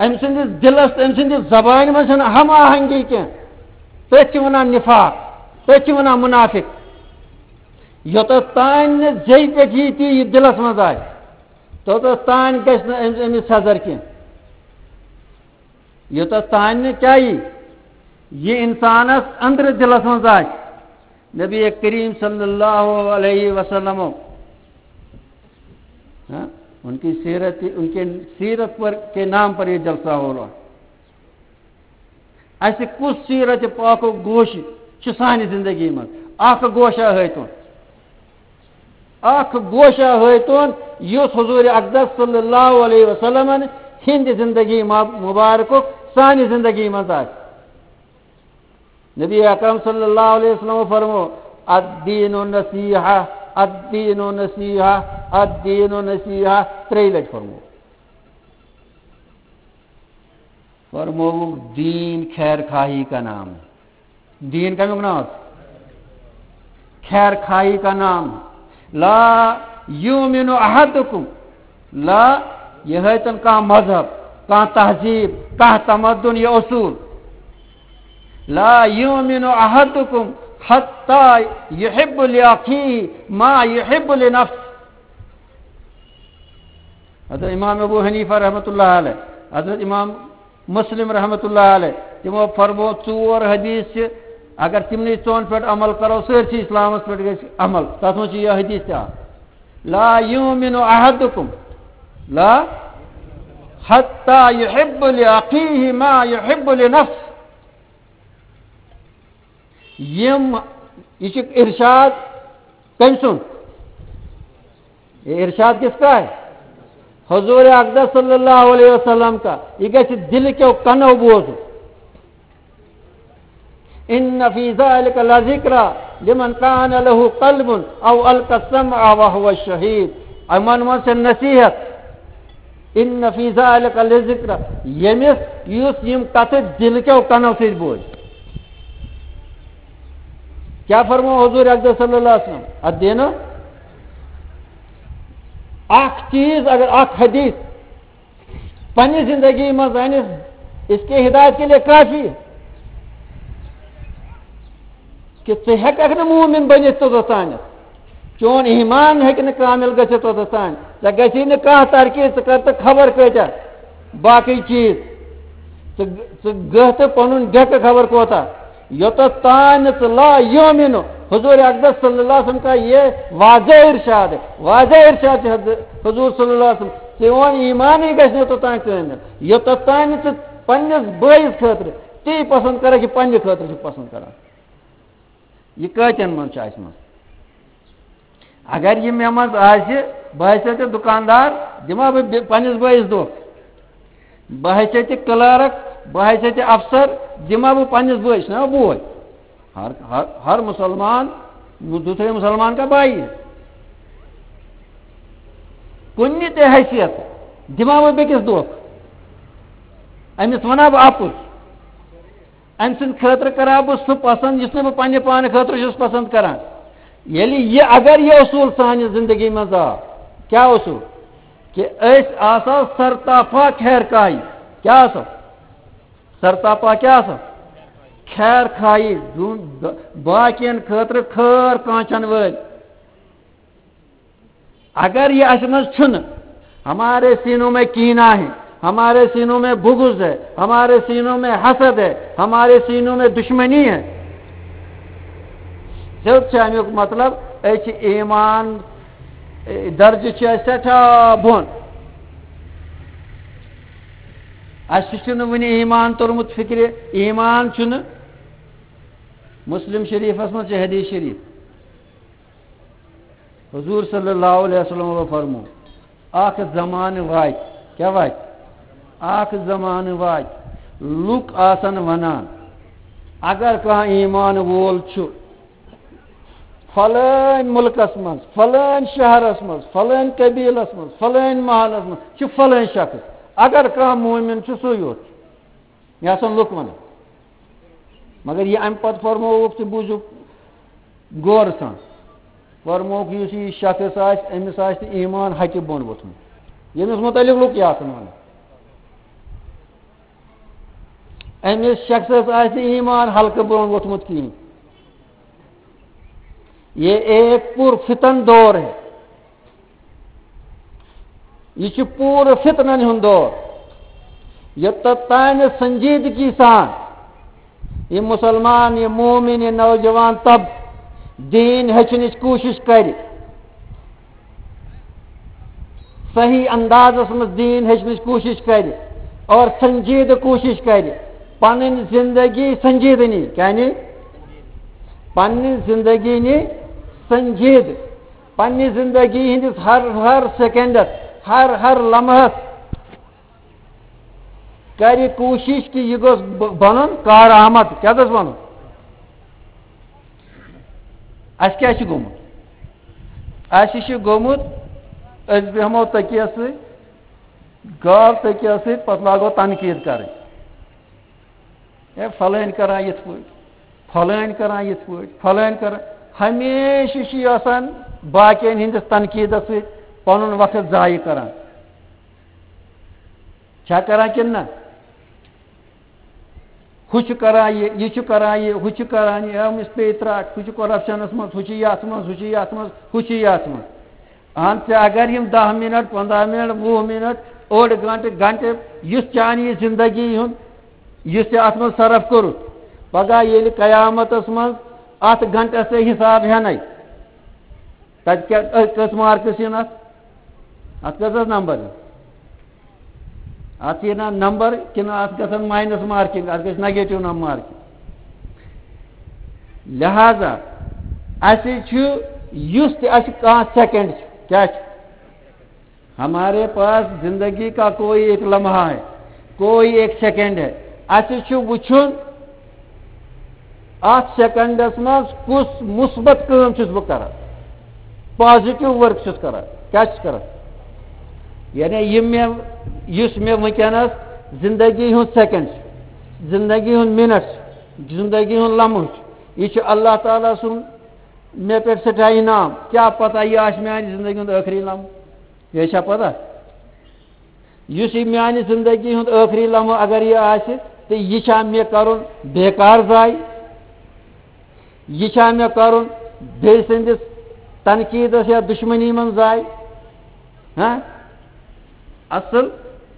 أمۍ سٕنٛدِس دِلَس تہٕ أمۍ سٕنٛدِس زبانہِ منٛز چھَنہٕ ہم آہنگی کینٛہہ۔ تٔتھۍ چھِ وَنان نِفاق، تٔتھۍ چھِ وَنان مُنافِق۔ یوٚتَتھ تام نہٕ زیٚیہِ پٮ۪ٹھ یی تی یہِ دِلَس منٛز آسہِ، توٚتَتھ تام گژھِ نہٕ أمِس، أمِس سَزَر کینٛہہ۔ یوٚتَتھ تام نہٕ کیٛاہ یی، یہِ اِنسانَس أنٛدرٕ دِلَس منٛز آسہِ۔ نبی کریم صلی اللہ علیہ وسلم، ہاں، ان کی سیرت، ان کے سیرت پر، کے نام پر یہ جلسہ ہو رہا۔ اَسہِ کُس سیرت پاکُک گوشہِ چھُ سانہِ زندگی منٛز؟ اکھ گوشہ ہٲیتون، اکھ گوشہ ہٲیتون، یُس حضور اقدس صلی اللہ علیہ وسلمن ہٕنٛدِ زندگی مب-، مبارکُک سانہِ زندگی منٛز آسہِ۔ نبی اکرم صلی اللہ علیہ وسلم فرمو، "الدین النصیحہ، الدین النصیحہ، الدین النصیحہ"، ترٛیٚیہِ لٹہِ فرمو۔ فرمووُکھ، "دین خیر خواہی کا نام ہے۔" دین کمیُک ناو؟ خیر خواہی کا نام۔ لا یؤمن احدکم، لا، یہِ ہٲیتن کانٛہہ مذہب، کانٛہہ تہذیب، کانٛہہ تمدن یا اصول۔ لا یؤمن احدکم حتی یحب لاخیہ ما یحب لنفسہ۔ حضرت امام ابو حنیفہ رحمۃ اللہ علیہ، حضرت امام مسلم رحمۃ اللہ علیہ، تِمو فرمو، ژور حدیث چھِ، اگر تِمنٕے ژۄن پٮ۪ٹھ عمل کرو، سٲرسٕے اسلامس پٮ۪ٹھ گژھِ عمل۔ تتھ منٛز چھُ یہِ حدیث تہِ اکھ، "لا یؤمن احدکم، لا، حتی یحب لاخیہ ما یحب لنفسہ۔" یِم، یہِ چھُ ارشاد کٔمۍ سُنٛد؟ یہ ارشاد کس کا ہے؟ حضور اقدس صلی اللہ علیہ وسلم کا۔ یہ گژھِ دل کیو کنو بوزُن۔ ان فی ذلک لذکری لمن کان لہ قلب او القی السمع وہو شہید۔ یِمن منٛز چھِ نصیحت۔ ان فی ذلک لذکری، ییٚمِس، یُس یِم کتھٕ دِلہٕ کیو کنو سۭتۍ بوزِ۔ کیٛاہ فرموو حضور اقدس صلی اللہ علیہ وسلم؟ اتھ دِنہٕ اکھ چیٖز، اگر اکھ حدیث پننہِ زندگی منٛز انہِ، اس کے ہدایت کے لیے کافی ہے۔ کہ ژٕ ہیٚککھ نہٕ مومن بٔنِتھ توٚتتھ تانٮ۪تھ۔ چون ایمان ہیٚکہِ نہٕ کامل گٔژھِتھ توٚتتھ تانۍ۔ ژےٚ گژھی نہٕ کانٛہہ ترقی، ژٕ کر تہٕ خبر کۭتیاہ باقٕے چیٖز۔ ژٕ، ژٕ گٔہ تہٕ پنُن ڈیٚکہٕ خبر کوتاہ۔ یوٚتتھ تانۍ نہٕ ژٕ لا یؤمنُ، حضور اقدس صلی اللہ علیہ وسلم کا یہ واضح ارشاد ہے، واضح ارشاد ہے حض-، حضور صلی اللہ علیہ وسلم۔ چون ایمانٕے گژھِ نہٕ توٚتانۍ کامل، یوٚتتھ تانۍ نہٕ ژٕ پننِس بٲیِس خٲطرٕ تی پسند کرکھ، یہِ پننہِ خٲطرٕ چھُ پسند کران۔ یہِ کٲتٮ۪ن منٛز چھُ اَسہِ منٛز؟ اگر یہِ مےٚ منٛز آسہِ، بہٕ آسہِ ژےٚ دُکاندار، دِمہٕ ہا بہٕ بے-، پننِس بٲیِس دھوکہٕ۔ بحیثیت کلارک، بحیثیت افسر، دِما بہٕ پننِس بٲیِس، نہ بوے۔ ہر، ہر، ہر مسلمان، دوسرے مسلمان کا بھائی ہے۔ کُنہِ تہِ حیثیت دِما بہٕ بیٚکِس دھوکہٕ۔ أمِس وَنا بہٕ اَپُز۔ أمۍ سٕنٛدِ خٲطرٕ کرا بہٕ سُہ پسنٛد، یُس نہٕ بہٕ پننہِ پانہٕ خٲطرٕ چھُس پسنٛد کران۔ ییٚلہِ یہِ، اگر یہِ اصوٗل سانہِ زندگی منٛز آو، کیٛاہ اصوٗل؟ کہ أسۍ آسو سرتاپا خیر خواہی۔ کیٛاہ آسو؟ سرتاپا کیٛاہ آسو؟ خیر خواہی، دُن-، باقین خٲطرٕ خٲر کانچن وٲلۍ۔ اگر یہ اَسہِ منٛز چھُنہٕ، ہمارے سینوں میں کینہ ہے، ہمارے سینوں میں بغض ہے، ہمارے سینوں میں حسد ہے، ہمارے سینوں میں دشمنی ہے، سیوٚد چھُ اَمیُک مطلب، أسۍ چھِ ایمان، اے، درجہٕ چھُ اَسہِ سٮ۪ٹھاہ بۄن۔ اَسہِ چھُنہٕ وُنہِ ایمان توٚرمُت فِکرِ، ایمان چھُنہٕ۔ مسلم شریفس منٛز چھِ حدیث شریف، حضور صلی اللہ علیہ وسلم فرمو، اکھ زمانہٕ واتہِ، کیٛاہ واتہِ؟ اکھ زمانہٕ واتہِ، لُکھ آسن ونان، اگر کانٛہہ ایمان وول چھُ فلٲنۍ مُلکس منٛز، فلٲنۍ شہرس منٛز، فلٲنۍ قبیلس منٛز، فلٲنۍ محلس منٛز، چھُ فلٲنۍ شخص، اگر کانٛہہ مومن چھُ، سُے یوت چھُ۔ یہِ آسن لُکھ ونان۔ مگر یہِ امہِ پتہٕ فرمووُکھ تہِ بوٗزِو غورٕ سان۔ فرمووُکھ، یُس یہِ شخص آسہِ، أمِس آسہِ نہٕ ایمان ہکہِ بۄن ووٚتھمُت۔ ییٚمِس متعلق لُکھ یہِ آسن ونان۔ أمِس شخصس آسہِ نہٕ ایمان ہلکہٕ بۄن ووٚتھمُت کِہیٖنۍ۔ یہ ایک پر فتن دور ہے۔ یہِ چھُ پوٗرٕ فتنن ہُنٛد دور۔ یوٚتتھ تانۍ سنجیدگی سان یہِ مسلمان، یہِ مومن، یہِ نوجوان طبقہٕ دیٖن ہیٚچھنٕچ کوٗشش کرِ، صحیح اندازس منٛز دیٖن ہیٚچھنٕچ کوٗشش کرِ اور سنجیدٕ کوٗشش کرِ، پنٕنۍ زندگی سنجیدٕنی، یعنی پنٕنۍ زندگی نی سنجیدٕ، پننہِ زندگی ہٕنٛدِس ہر، ہر سیکنڈس، ہر، ہر لمحس کرِ کوٗشِش کہِ یہِ گوٚژھ ب-، بنُن کارآمد۔ کیٛاہ گوٚژھ بنُن؟ اَسہِ کیٛاہ چھُ گوٚمُت؟ اَسہِ چھُ گوٚمُت، أسۍ بیٚہمو تٔکیَس سۭتۍ، گاو تٔکیَس سۭتۍ، پتہٕ لاگو تنقیٖد کرٕنۍ۔ ہے، فلٲنۍ کران یِتھ پٲٹھۍ، فلٲنۍ کران یِتھ پٲٹھۍ، فلٲنۍ کران۔ ہمیشہِ چھُ یہِ آسان باقین ہٕنٛدِس تنقیٖدس سۭتۍ پنُن وقت ضایع کران۔ چھا کران کِنہٕ نہ؟ ہُہ چھُ کران یہِ، یہِ چھُ کران یہِ، ہُہ چھُ کران یہِ، أمِس پیٚیہِ ترٛٹھ، ہُہ چھُ corruptionس منٛز، ہُہ چھُ یتھ منٛز، ہُہ چھُ یتھ منٛز، ہُہ چھُ یتھ منٛز۔ اہن سا، اگر یِم دَہ منٹ، پنٛداہ منٹ، وُہ منٹ، اوٚڑ گنٹہٕ، گنٹہٕ، یُس چانہِ یہِ زندگی ہُنٛد، یُس ژےٚ اتھ منٛز صرف کوٚرُتھ، پگاہ ییٚلہِ قیامتس منٛز اتھ گنٹس ژےٚ حساب ہٮ۪نے، تتہِ کیٛاہ، أ، کٔژ marks یِن اتھ؟ اتھ کٔژ حظ number یِن؟ اتھ یِن نا number کِنہٕ اتھ گژھن minus marking، اتھ گژھِ negative نم marking؟ لہذا اسہِ چھُ، یُس تہِ اسہِ کانٛہہ second چھُ، کیٛاہ چھُ؟ ہمارے پاس زندگی کا کوئی ایک لمحہ ہے، کوئی ایک second ہے۔ اسہِ چھُ وُچھُن، اتھ secondس منٛز کُس مثبت کٲم چھُس بہٕ کران، positive work چھُس کران، کیٛاہ چھُس کران؟ یعنی یہِ مےٚ، یُس مےٚ وٕنکیٚنس زندگی ہُنٛد second چھُ، زندگی ہُنٛد minute چھُ، زندگی ہُنٛد لمحہٕ چھُ، یہِ چھُ اللہ تعالیٰ سُنٛد مےٚ پٮ۪ٹھ سٮ۪ٹھاہ انعام۔ کیٛاہ پتہ یہِ آسہِ میانہِ زندگی ہُنٛد ٲخری لمحہٕ؟ یہِ چھا پتہ؟ یُس یہِ میانہِ زندگی ہُنٛد ٲخری لمحہٕ اگر یہِ آسہِ، تہٕ یہِ چھا مےٚ کرُن بیکار ضایع؟ یہِ چھا مےٚ کرُن بیٚیہِ سٕنٛدِس تنقیٖدس یا دُشمنی منٛز ضایع؟ ہاں؟ اصل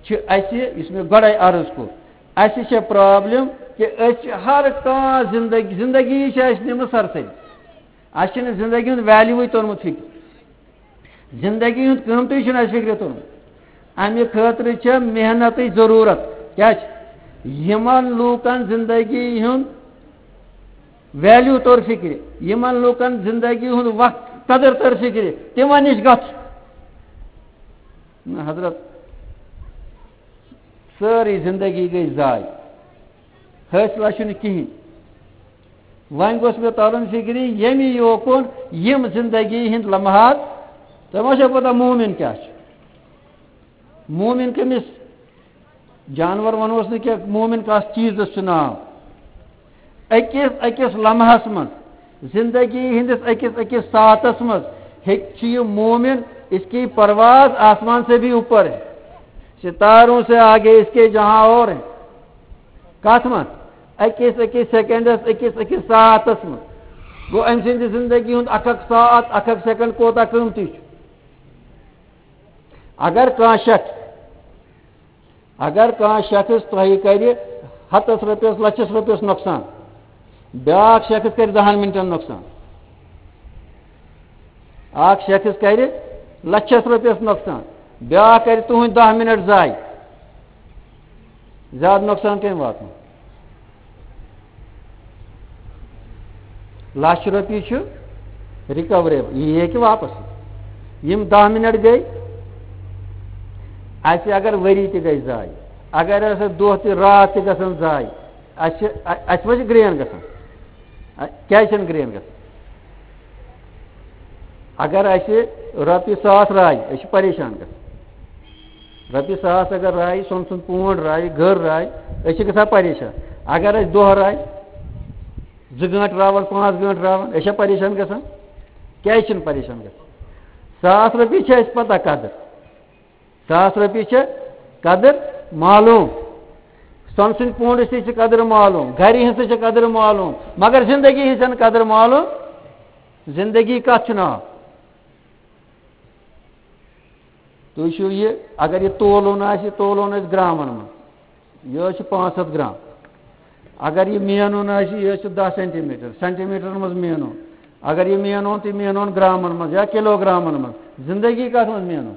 چھِ اسہِ، یُس مےٚ گۄڈے عرض کوٚر، اسہِ چھےٚ problem کہِ أسۍ چھِ ہر کانٛہہ زندگی، زندگی چھِ اسہِ نِمٕژ سرسٕے۔ اسہِ چھِنہٕ زندگی ہُنٛد value وٕے توٚرمُت فِکرِ۔ زندگی ہُنٛد قۭمتٕے چھُنہٕ اَسہِ فِکرِ توٚرمُت۔ اَمہِ خٲطرٕ چھےٚ محنتٕچ ضروٗرت۔ کیٛاہ چھِ؟ یِمن لوٗکن زندگی ہُنٛد value توٚر فِکرِ، یِمن لوٗکن زندگی ہُنٛد وقت قدر تٔر فِکرِ، تِمن نِش گژھُن۔ نہ حضرت، سٲرٕے زندگی گٔے ضایع۔ حٲصِلہ چھُنہٕ کِہیٖنۍ۔ وۄنۍ گوٚژھ مےٚ تَرُن فِکرِ، ییٚمہِ یوکُن یِم زندگی ہِنٛدۍ لمحات، تۄہہِ ما چھو پتہ مومِن کیٛاہ چھُ؟ مومِن کٔمِس؟ جانور وَنوس نہٕ کینٛہہ، مومِن کَس چیٖزَس چھُ ناو؟ أکِس أکِس لمحس منٛز، زندگی ہٕنٛدِس أکِس أکِس ساعتس منٛز ہیٚکہِ چھُ یہِ مومِن، اس کی پرواز آسمان سے بھی اوپر ہے، ستاروں سے آگے اس کے جہاں اور ہیں۔ کتھ منٛز؟ أکِس أکِس سیکنڈس، أکِس أکِس ساعتس منٛز۔ گوٚو، أمۍ سٕنٛدِ زندگی ہُنٛد اکھ اکھ ساعت، اکھ اکھ سیکنڈ کوتاہ قۭمتی چھُ؟ اگر کانٛہہ شخص، اگر کانٛہہ شخص تۄہہِ کرِ ہتس رۄپیس، لچھس رۄپیس نۄقصان، بیٛاکھ شخص کرِ دہن منٹن نۄقصان۔ اکھ شخص کرِ لچھس رۄپیس نۄقصان، بیٛاکھ کرِ تُہنٛدۍ دَہ منٹ ضایع۔ زیادٕ نۄقصان کٔمۍ واتنو؟ لچھ رۄپیہِ چھُ recoverable، یہِ ہیٚکہِ واپس یِتھ۔ یِم دَہ منٹ گٔے، اَسہِ اگر ؤری تہِ گژھِ ضایع، اگر اَسہِ دۄہ تہِ راتھ تہِ گژھن ضایع، اَسہِ چھِ، اَ-، اَسہِ ما چھِ گرٛین گژھان؟ اَ-، کیٛازِ چھَنہٕ گرٛین گژھان؟ اگر اَسہِ رۄپیہِ ساس راے، أسۍ چھِ پریشان گژھان۔ رۄپیہِ ساس اگر راے، سۄنہٕ سُنٛد پونٛڈ راے، گٔر راے، أسۍ چھِ گژھان پریشان۔ اگر اَسہِ دۄہ راے، زٕ گٲنٛٹہٕ راوَن، پانٛژھ گٲنٛٹہٕ راوَن، أسۍ چھا پریشان گژھان؟ کیٛازِ چھِنہٕ پریشان گژھان؟ ساس رۄپیہِ چھِ اَسہِ پَتہ قدٕر۔ ساس رۄپیہِ چھِ قدٕر معلوٗم۔ سۄنہٕ سٕنٛدِ پونٛڈٕچ تہِ چھِ قدٕر معلوٗم، گَرِ ہٕنٛز تہِ چھِ قدٕر معلوٗم، مگر زندگی ہٕنٛز چھَنہٕ قدٕر معلوٗم۔ زندگی کَتھ چھُ ناو؟ تُہۍ چھِو یہِ، اگر یہِ تولُن آسہِ، یہِ تولُن آسہِ گرٛامَن منٛز، یہِ حظ چھُ پانٛژھ ہَتھ گرٛام۔ اگر یہِ مینُن آسہِ، یہِ حظ چھُ دَہ سینٹی میٖٹر، سینٹی میٖٹرَن منٛز مینُن۔ اگر یہِ مینُن تہٕ مینُن گرٛامَن منٛز یا کِلوٗ گرٛامَن منٛز، زِندگی کَتھ منٛز مینُن؟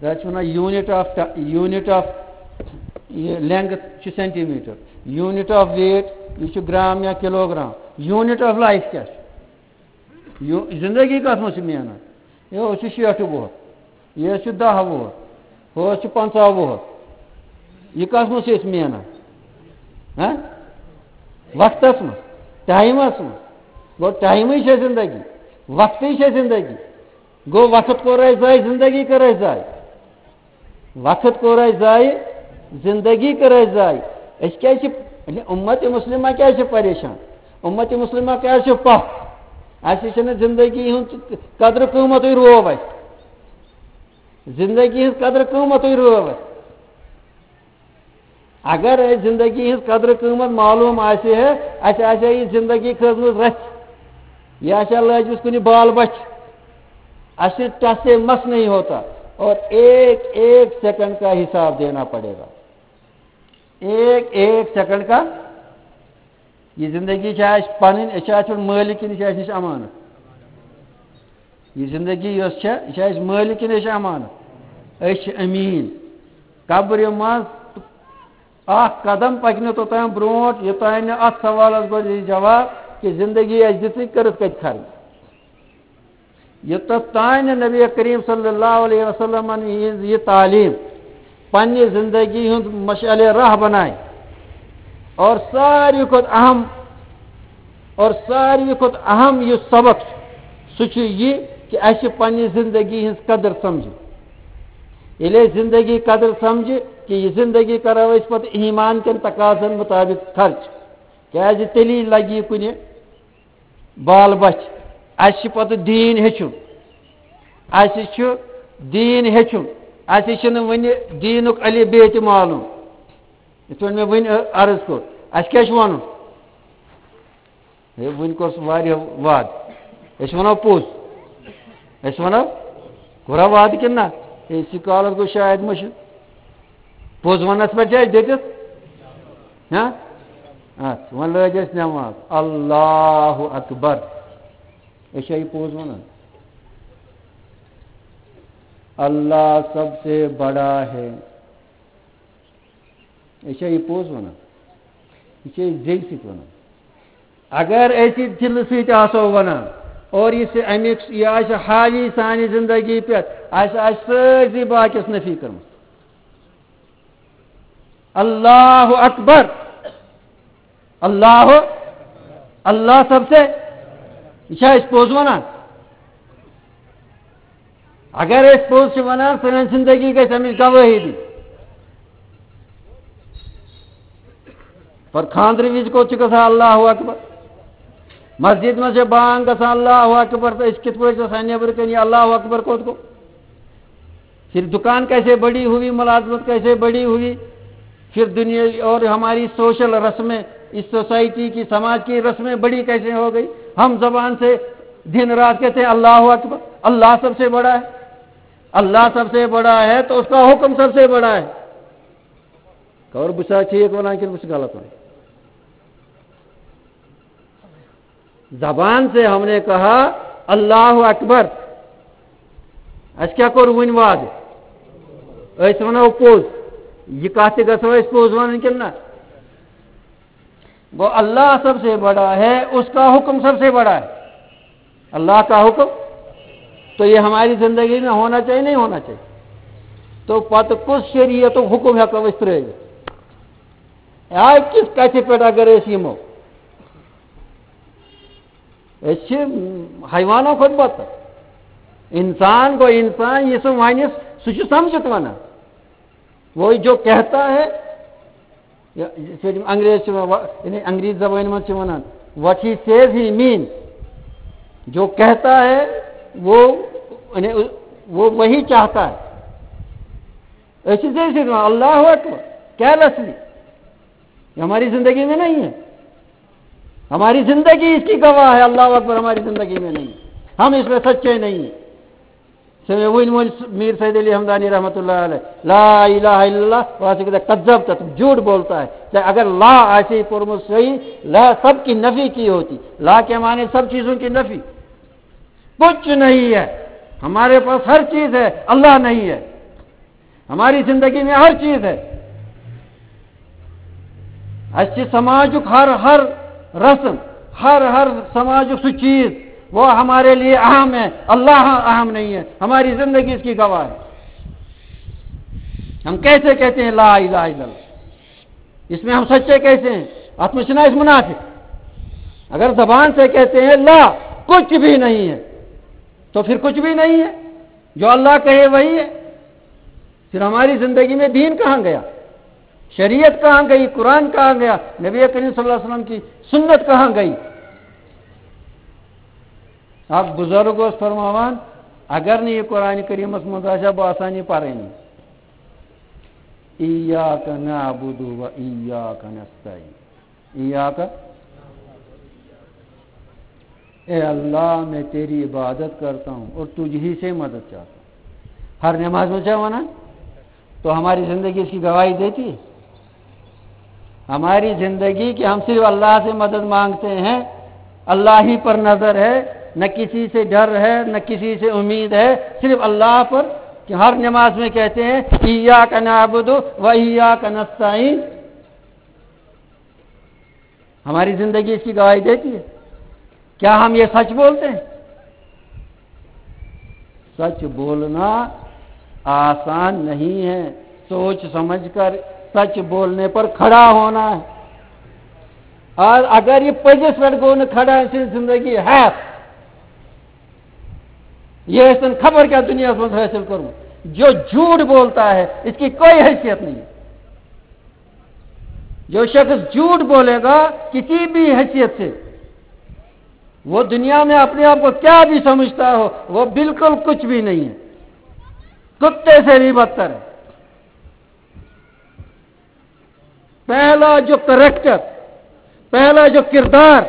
تَتھ چھِ وَنان unit of ti-، unit of یہِ length چھُ centimetre, unit of weight یہِ چھُ گرٛام یا kilogram, unit of life کیٛاہ چھُ؟ یہِ زندگی کَتھ منٛز چھِ مینان؟ یہِ حظ چھُ شیٹھ وُہُر، یہِ حظ چھُ دَہ وُہُر، ہُہ حظ چھُ پنٛژاہ وُہُر۔ یہِ کَتھ منٛز چھِ أسۍ مینان؟ ہہ؟ وقتَس منٛز، ٹایمَس منٛز۔ گوٚو، ٹایمٕے چھےٚ زندگی، وقتٕے چھےٚ زندگی۔ گوٚو، وقت کوٚر اَسہِ ضایع، زندگی کٔر اَسہِ ضایع۔ وقت کوٚر اَسہِ ضایع، زندگی کٔر اَسہِ ضایع۔ أسۍ کیٛازِ چھِ، یعنی اُمت مسلمہ کیٛازِ چھِ پریشان؟ اُمت مسلمہ کیٛازِ چھِ پَتھ؟ اَسہِ چھِنہٕ زندگی ہُنٛد قدرٕ قۭمتھٕے روو اَسہِ۔ زندگی ہٕنٛز قدرٕ قۭمتھٕے روو اَسہِ۔ اگر اَسہِ زندگی ہٕنٛز قدرٕ قۭمتھ معلوٗم آسہِ ہے، اَسہِ آسہِ ہے یہِ زندگی کھٔژمٕژ رَژھِ، یہِ آسہِ ہے لٲجمٕژ کُنہِ بال بَچھِ۔ اَسہِ ٹس سے مس نہیں ہوتا اور ایک ایک سیکنڈ کا حساب دینا پڑے گا۔ ایک ایک سیکنڈ کا۔ یہِ زندگی چھِ اَسہِ پَنٕنۍ، أسۍ چھِ اَتھ پٮ۪ٹھ مٲلِک کِنہٕ یہِ چھِ اَسہِ نِش اَمانَت؟ یہِ زندگی یۄس چھےٚ، یہِ چھِ اَسہِ مٲلِک کِنہٕ أسۍ چھِ اَمانَت؟ أسۍ چھِ أمیٖن۔ قبرِ منٛز اَکھ قدم پَکہِ نہٕ توٚتام برٛونٛٹھ، یوٚتام نہٕ اَتھ سوالَس گۄڈٕ یی جواب کہِ زندگی اَسہِ دِژٕے، کٔرٕتھ کَتہِ خرٕچ؟ یوٚتَتھ تام نہٕ نبی کریم صلی اللہ علیہ وسلمن یِہٕنٛز یہِ تعلیٖم پننہِ زندگی ہُنٛد مشعلِ راہ بنایہِ اور ساروی کھۄتہٕ اہم، اور ساروی کھۄتہٕ اہم یُس سبق چھُ، سُہ چھُ یہِ کہِ اَسہِ چھِ پننہِ زندگی ہٕنٛز قدر سمجھٕنۍ۔ ییٚلہِ أسۍ زندگی قدر سمجھِ کہِ یہِ زندگی کرو أسۍ پتہٕ ایمان کٮ۪ن تقاضن مطابق خرچ، کیازِ تیٚلی لگہِ یہِ کُنہِ بال بچھ۔ اَسہِ چھُ پتہٕ دیٖن ہیٚچھُن۔ اَسہِ چھُ دیٖن ہیٚچھُن۔ اَسہِ چھُنہٕ وُنہِ دیٖنُک الف بے تہِ معلوم۔ یِتھ پٲٹھۍ مےٚ وُنہِ عرض کوٚر، اَسہِ کیٛاہ چھُ وَنُن؟ ہے، وُنہِ کوٚر سُہ واریاہ وعدٕ۔ أسۍ وَنو پوٚز۔ أسۍ وَنو، کوٚرا وعدٕ کِنہٕ نہ؟ أزۍ کالَس گوٚو شاید مٔشِتھ۔ پوٚز وَنَس پٮ۪ٹھ چھِ اَسہِ ڈٔٹِتھ۔ ہاں؟ اَتھ وۄنۍ لٲج اَسہِ نٮ۪ماز۔ اللہ اکبر۔ أسۍ چھا یہِ پوٚز وَنان؟ اللہ سب سے بڑا ہے۔ أسۍ چھا یہِ پوٚز وَنان؟ یہِ چھِ أسۍ زیٚوِ سۭتۍ وَنان۔ اگر أسۍ یہِ دِلہٕ سۭتۍ آسو وَنان، اور یہِ چھِ اَمیُک، یہِ آسہِ حاوی سانہِ زندگی پٮ۪ٹھ، اَسہِ آسہِ سٲرسٕے باقیَس نفی کٔرمٕژ۔ اللہ اکبر، اللہ، اللہ سب سے، یہِ چھا أسۍ پوٚز وَنان؟ اگر أسۍ پوٚز چھِ وَنان، سٲنۍ زندگی گژھِ اَمِچ گوٲہی دِنۍ۔ پر خانٛدرٕ وِزِ کوٚت چھُ گژھان اللہ اکبر؟ مسجد منٛز چھِ بانگ گژھان اللہ اکبر، تہٕ أسۍ کِتھ پٲٹھۍ چھِ آسان نیٚبرٕ کَنہِ یہِ اللہ اکبر کوٚت گوٚو؟ پھر دکان کیسے بڑی ہوئی، ملازمت کیسے بڑی ہوئی، پھر دنیا اور ہماری سوشل رسمیں، اس سوسائٹی کی، سماج کی رسمیں بڑی کیسے ہو گئی۔ ہم زبان سے دن رات کہتے ہیں اللہ اکبر، اللہ سب سے بڑا ہے، اللہ سب سے بڑا ہے تو اس کا حکم سب سے بڑا ہے۔ اور بچا ٹھیک بنا کہ بچ غلط بنا؟ زبان سے ہم نے کہا اللہ اکبر، اَسہِ کیٛاہ کوٚر وٕنہِ وعدٕ؟ أسۍ وَنو پوٚز۔ یہِ کَتھ تہِ گژھو أسۍ پوٚز وَنٕنۍ کِنہٕ نہ؟ گو اللہ سب سے بڑا ہے، اس کا حکم سب سے بڑا ہے۔ اللہ کا حکم تو یہ ہماری زندگی میں ہونا چاہیے، نہیں ہونا چاہیے؟ تو پتہٕ کُس شریعت و حکم ہٮ۪کو أسۍ ترٛٲوِتھ؟ آے کِس کَتھِ پٮ۪ٹھ اگر أسۍ یِمو؟ أسۍ چھِ حیوانو کھۄتہٕ بدتر۔ انسان گوٚو انسان، یہِ سُہ وَنہِ، سُہ چھُ سمجھِتھ وَنان۔ وہ جو کہتا ہے، یا یِتھ پٲٹھۍ یِم انگریز چھِ وَنان، وَ-، یعنی انگریز زبٲنۍ منٛز چھِ وَنان، what he says he mean۔ جو کہتا ہے، وہ، یعنی وہ وہی چاہتا ہے۔ أسۍ چھِ زیچھِ دِوان، اللہ اکبر، carelessly۔ یہ ہماری زندگی میں نہیں ہے۔ ہماری زندگی اس کی گواہ ہے، اللہ اکبر ہماری زندگی میں نہیں ہے۔ ہم اس میں سچے نہیں ہیں۔ سے میں وٕنۍ ووٚن میر سید علی ہمدانی رحمۃ اللہ علیہ، لا الہ الا اللہ، وہاں سے کہتا ہے، کذبت، تم جھوٹ بولتا ہے۔ چاہے اگر لا ایسے ہی پرمت صحیح، لا سب کی نفی کی ہوتی، لا کے معنی سب چیزوں کی نفی۔ کچھ نہیں ہے، ہمارے پاس ہر چیز ہے، اللہ نہیں ہے۔ ہماری زندگی میں ہر چیز ہے۔ اَسہِ چھِ سماجُک ہر، ہر رسم، ہر، ہر سماجُک سُہ چیز، وہ ہمارے لیے اہم ہے، اللہ اہم نہیں ہے، ہماری زندگی اس کی گواہ ہے۔ ہم کیسے کہتے ہیں لا الہ الا اللہ؟ اس میں ہم سچے کیسے ہیں؟ اَتھ منٛز چھِنہ أسۍ منافق؟ اگر زبان سے کہتے ہیں لا، کچھ بھی نہیں ہے، تو پھر کچھ بھی نہیں ہے۔ جو اللہ کہے وہی ہے۔ پھر ہماری زندگی میں دین کہاں گیا؟ شریعت کہاں گئی؟ قرآن کہاں گیا؟ نبی کریم صلی اللہ علیہ وسلم کی سنت کہاں گئی؟ اکھ بزرگ اوس فرماوان، اگر نہٕ یہِ قرآن کریٖمس منٛز آسہِ ہا، بہٕ آسہٕ ہا نہٕ یہِ پرٲنی۔ ایاک نعبد و ایاک نستعین۔ ایاک، اے اللہ، میں تیری عبادت کرتا ہوں اور تجھ ہی سے مدد چاہتا ہوں۔ ہر نماز میں کیا مانا؟ تو ہماری زندگی اس کی گواہی دیتی ہے۔ ہماری زندگی کہ ہم صرف اللہ سے مدد مانگتے ہیں، اللہ ہی پر نظر ہے، نہ کسی سے ڈر ہے، نہ کسی سے امید ہے، صرف اللہ پر، کہ ہر نماز میں کہتے ہیں، ایاک نعبد و ایاک نستعین۔ ہماری زندگی اس کی گواہی دیتی ہے۔ کیا ہم یہ سچ بولتے ہیں؟ سچ بولنا آسان نہیں ہے۔ سوچ سمجھ کر سچ بولنے پر کھڑا ہونا ہے۔ اور اگر یہ پزس پٮ۪ٹھ گوٚو نہٕ کھڑا، أمۍ سٕنٛز زندگی ہیٚتھ، یہ ٲسۍتن خبر کیا دنیا میں حاصل کروں، جو جھوٹ بولتا ہے، اس کی کوئی حیثیت نہیں ہے۔ جو شخص جھوٹ بولے گا کسی بھی حیثیت سے، وہ دنیا میں اپنے آپ کو کیا بھی سمجھتا ہو، وہ بالکل کچھ بھی نہیں ہے، کتے سے بھی بدتر ہے۔ پہلا جو کریکٹر، پہلا جو کردار،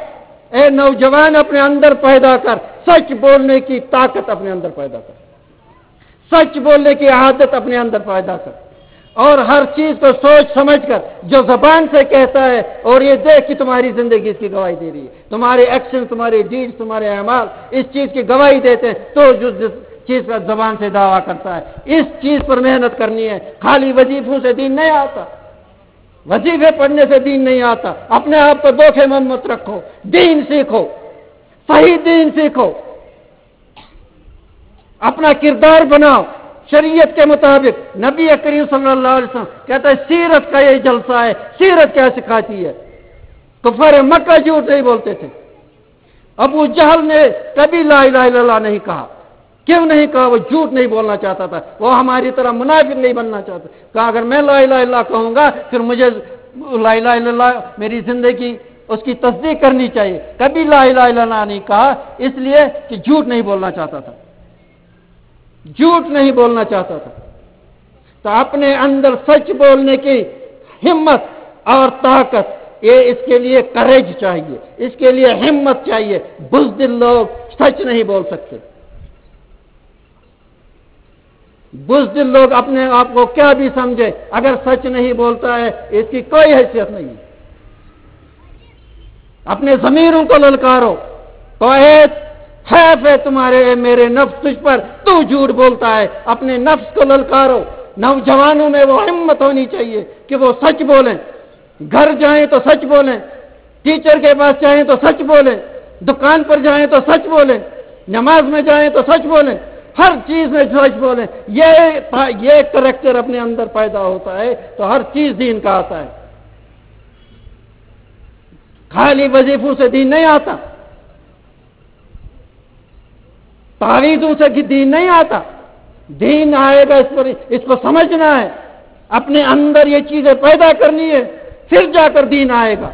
اے نوجوان، اپنے اندر پیدا کر، سچ بولنے کی طاقت اپنے اندر پیدا کر، سچ بولنے کی عادت اپنے اندر پیدا کر، اور ہر چیز کو سوچ سمجھ کر جو زبان سے کہتا ہے، اور یہ دیکھ کہ تمہاری زندگی اس کی گواہی دے رہی ہے، تمہارے ایکشن، تمہارے ڈیڈ، تمہارے اعمال اس چیز کی گواہی دیتے ہیں، تو جو جس چیز کا زبان سے دعویٰ کرتا ہے، اس چیز پر محنت کرنی ہے۔ خالی وظیفوں سے دین نہیں آتا، وظیفے پڑھنے سے دین نہیں آتا۔ اپنے آپ کو دھوکے میں مت رکھو، دین سیکھو، صحیح دین سیکھو۔ اپنا کردار بناؤ شریعت کے مطابق۔ نبی کریم صلی اللہ علیہ وسلم کہتا ہے، سیرت کا یہ جلسہ ہے، سیرت کیا سکھاتی ہے؟ کفار مکہ جھوٹ نہیں بولتے تھے۔ ابو جہل نے کبھی لا الہ الا اللہ نہیں کہا۔ کیوں نہیں کہا؟ وہ جھوٹ نہیں بولنا چاہتا تھا، وہ ہماری طرح منافق نہیں بننا چاہتا۔ کہا، اگر میں لا الہ الا اللہ کہوں گا، پھر مجھے لا الہ الا اللہ، میری زندگی، اس کی تصدیق کرنی چاہیے۔ کبھی لا الہ الا اللہ نہیں کہا، اس لیے کہ جھوٹ نہیں بولنا چاہتا تھا، جھوٹ نہیں بولنا چاہتا تھا۔ تو اپنے اندر سچ بولنے کی ہمت اور طاقت، یہ اس کے لیے کریج چاہیے، اس کے لیے ہمت چاہیے۔ بزدل لوگ سچ نہیں بول سکتے۔ بزدل لوگ اپنے آپ کو کیا بھی سمجھے، اگر سچ نہیں بولتا ہے، اس کی کوئی حیثیت نہیں۔ اپنے ضمیروں کو للکارو، تو اے حیف ہے تمہارے، اے میرے نفس، تجھ پر، تو جھوٹ بولتا ہے۔ اپنے نفس کو للکارو۔ نوجوانوں میں وہ ہمت ہونی چاہیے کہ وہ سچ بولیں، گھر جائیں تو سچ بولیں، ٹیچر کے پاس جائیں تو سچ بولیں، دکان پر جائیں تو سچ بولیں، نماز میں جائیں تو سچ بولیں، ہر چیز میں سچ بولیں۔ یہ، یہ کریکٹر اپنے اندر پیدا ہوتا ہے تو ہر چیز دین کا آتا ہے۔ خالی وظیفوں سے دین نہیں آتا، تعویذوں سے بھی دین نہیں آتا۔ دین آئے گا، اس پر، اس کو سمجھنا ہے، اپنے اندر یہ چیزیں پیدا کرنی ہے، پھر جا کر دین آئے گا۔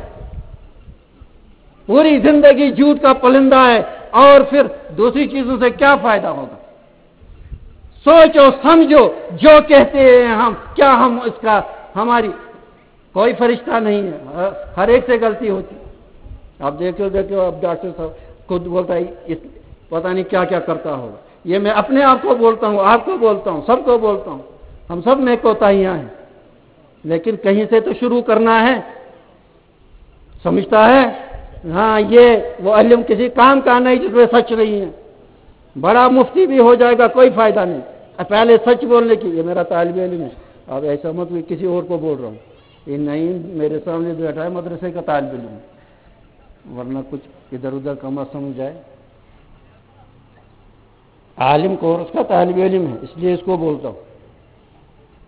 پوری زندگی جھوٹ کا پلندہ ہے، اور پھر دوسری چیزوں سے کیا فائدہ ہوگا؟ سوچو، سمجھو، جو کہتے ہیں ہم، کیا ہم اس کا، ہماری کوئی فرشتہ نہیں ہے، ہر، ہر ایک سے غلطی ہوتی۔ آپ دیکھو، دیکھو، اب ڈاکٹر صاحب خود بولتا ہے، اس، پتہ نہیں کیا کیا کرتا ہوگا۔ یہ میں اپنے آپ کو بولتا ہوں، آپ کو بولتا ہوں، سب کو بولتا ہوں، ہم سب میں کوتاہیاں ہیں، لیکن کہیں سے تو شروع کرنا ہے، سمجھتا ہے؟ ہاں، یہ وہ علم کسی کام کا نہیں جس میں سچ نہیں ہے۔ بڑا مفتی بھی ہو جائے گا، کوئی فائدہ نہیں۔ اب پہلے سچ بولنے کی، یہ میرا طالب علم ہے، اب ایسا مت کہ کسی اور کو بول رہا ہوں۔ یہ نہیں، میرے سامنے بیٹھا ہے مدرسے کا طالب علم، ورنہ کچھ ادھر ادھر کا مت سمجھ جائے۔ عالم کورس کا طالب علم ہے، اس لیے اس کو بولتا ہوں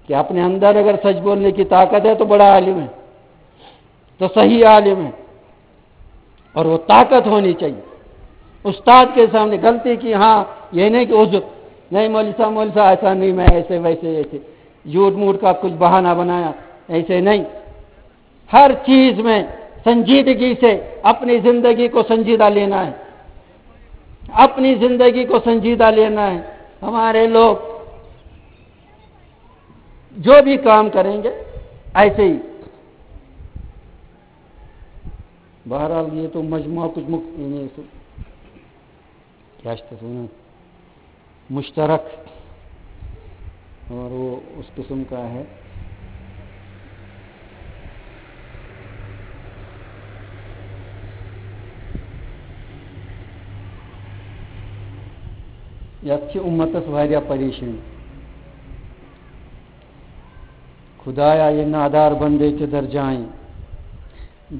کہ اپنے اندر اگر سچ بولنے کی طاقت ہے تو بڑا عالم ہے، تو صحیح عالم ہے، اور وہ طاقت ہونی چاہیے۔ استاد کے سامنے غلطی کی، ہاں، یہ نہیں کہ عذر، نہیں مولوی صاحب، مولوی صاحب، ایسا نہیں، میں ایسے ویسے ایسے جھوٹ موٹ کا کچھ بہانہ بنایا، ایسے نہیں۔ ہر چیز میں سنجیدگی سے اپنی زندگی کو سنجیدہ لینا ہے، اپنی زندگی کو سنجیدہ لینا ہے۔ ہمارے لوگ جو بھی کام کریں گے، ایسے ہی۔ بہرحال، یہ تو مجموعہ کچھ مخ-، یعنی اس-، کیا چھِ تَتھ وَنان؟ مشترک، اور وہ اس قسم کا ہے۔ یَتھ چھِ اُمتَس واریاہ پریشٲنی۔ خدایا، یہ نادار بندے کدھر جائیں،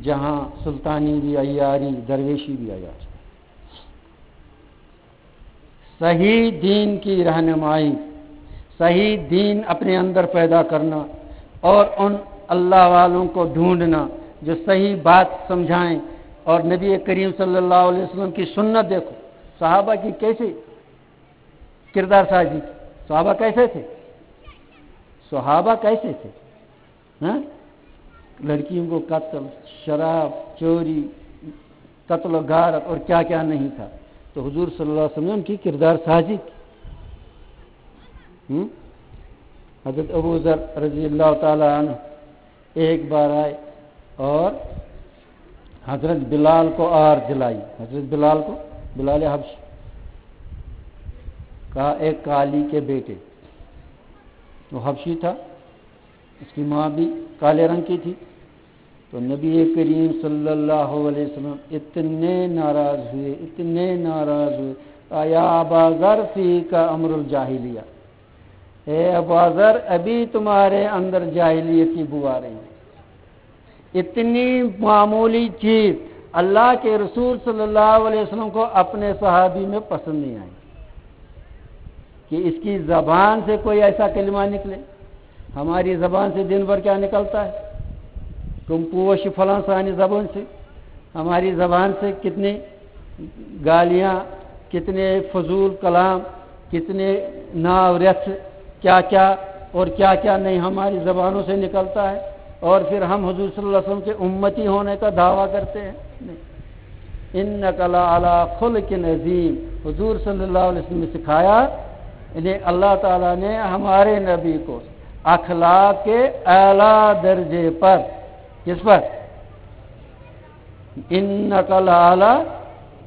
جہاں سلطانی بھی عیاری، درویشی بھی عیاری۔ صحیح دین کی رہنمائی، صحیح دین اپنے اندر پیدا کرنا اور ان اللہ والوں کو ڈھونڈنا جو صحیح بات سمجھائیں۔ اور نبی کریم صلی اللہ علیہ وسلم کی سنت دیکھو، صحابہ کی کیسی کردار سازی کی۔ صحابہ کیسے تھے؟ صحابہ کیسے تھے؟ ہاں؟ لڑکیوں کو قتل، شراب، چوری، قتل و غارت اور کیا کیا نہیں تھا۔ تو حضور صلی اللہ علیہ وسلم نے ان کی کردار سازی کی۔ ہم؟ حضرت ابو ذر رضی اللہ تعالیٰ عنہ ایک بار آئے اور حضرت بلال کو آر دلائی۔ حضرت بلال کو، بلال حبشی کا ایک کالی کے بیٹے، وہ حبشی تھا، اس کی ماں بھی کالے رنگ کی تھی۔ تو نبی کریم صلی اللہ علیہ وسلم اتنے ناراض ہوئے، اتنے ناراض ہوئے، کہا، یا ابا ذر، فیک امر الجاہلیہ، اے ابا ذر، ابھی تمہارے اندر جاہلیت کی بو آ رہی ہے۔ اتنی معمولی چیز اللہ کے رسول صلی اللہ علیہ وسلم کو اپنے صحابی میں پسند نہیں آئی۔ کہ اس کی زبان سے کوئی ایسا کلمہ نکلے۔ ہماری زبان سے دن بھر کیا نکلتا ہے؟ تم پوش فلاں سانی زبان سے، ہماری زبان سے کتنی گالیاں، کتنے فضول کلام، کتنے ناورث، کیا کیا اور کیا کیا نہیں ہماری زبانوں سے نکلتا ہے، اور پھر ہم حضور صلی اللہ علیہ وسلم کے امتی ہونے کا دعویٰ کرتے ہیں۔ انک لعلی خلق عظیم، حضور صلی اللہ علیہ وسلم نے سکھایا، یعنی اللہ تعالیٰ نے ہمارے نبی کو اخلاق کے اعلیٰ درجے پر، کس پر؟ انک لعلی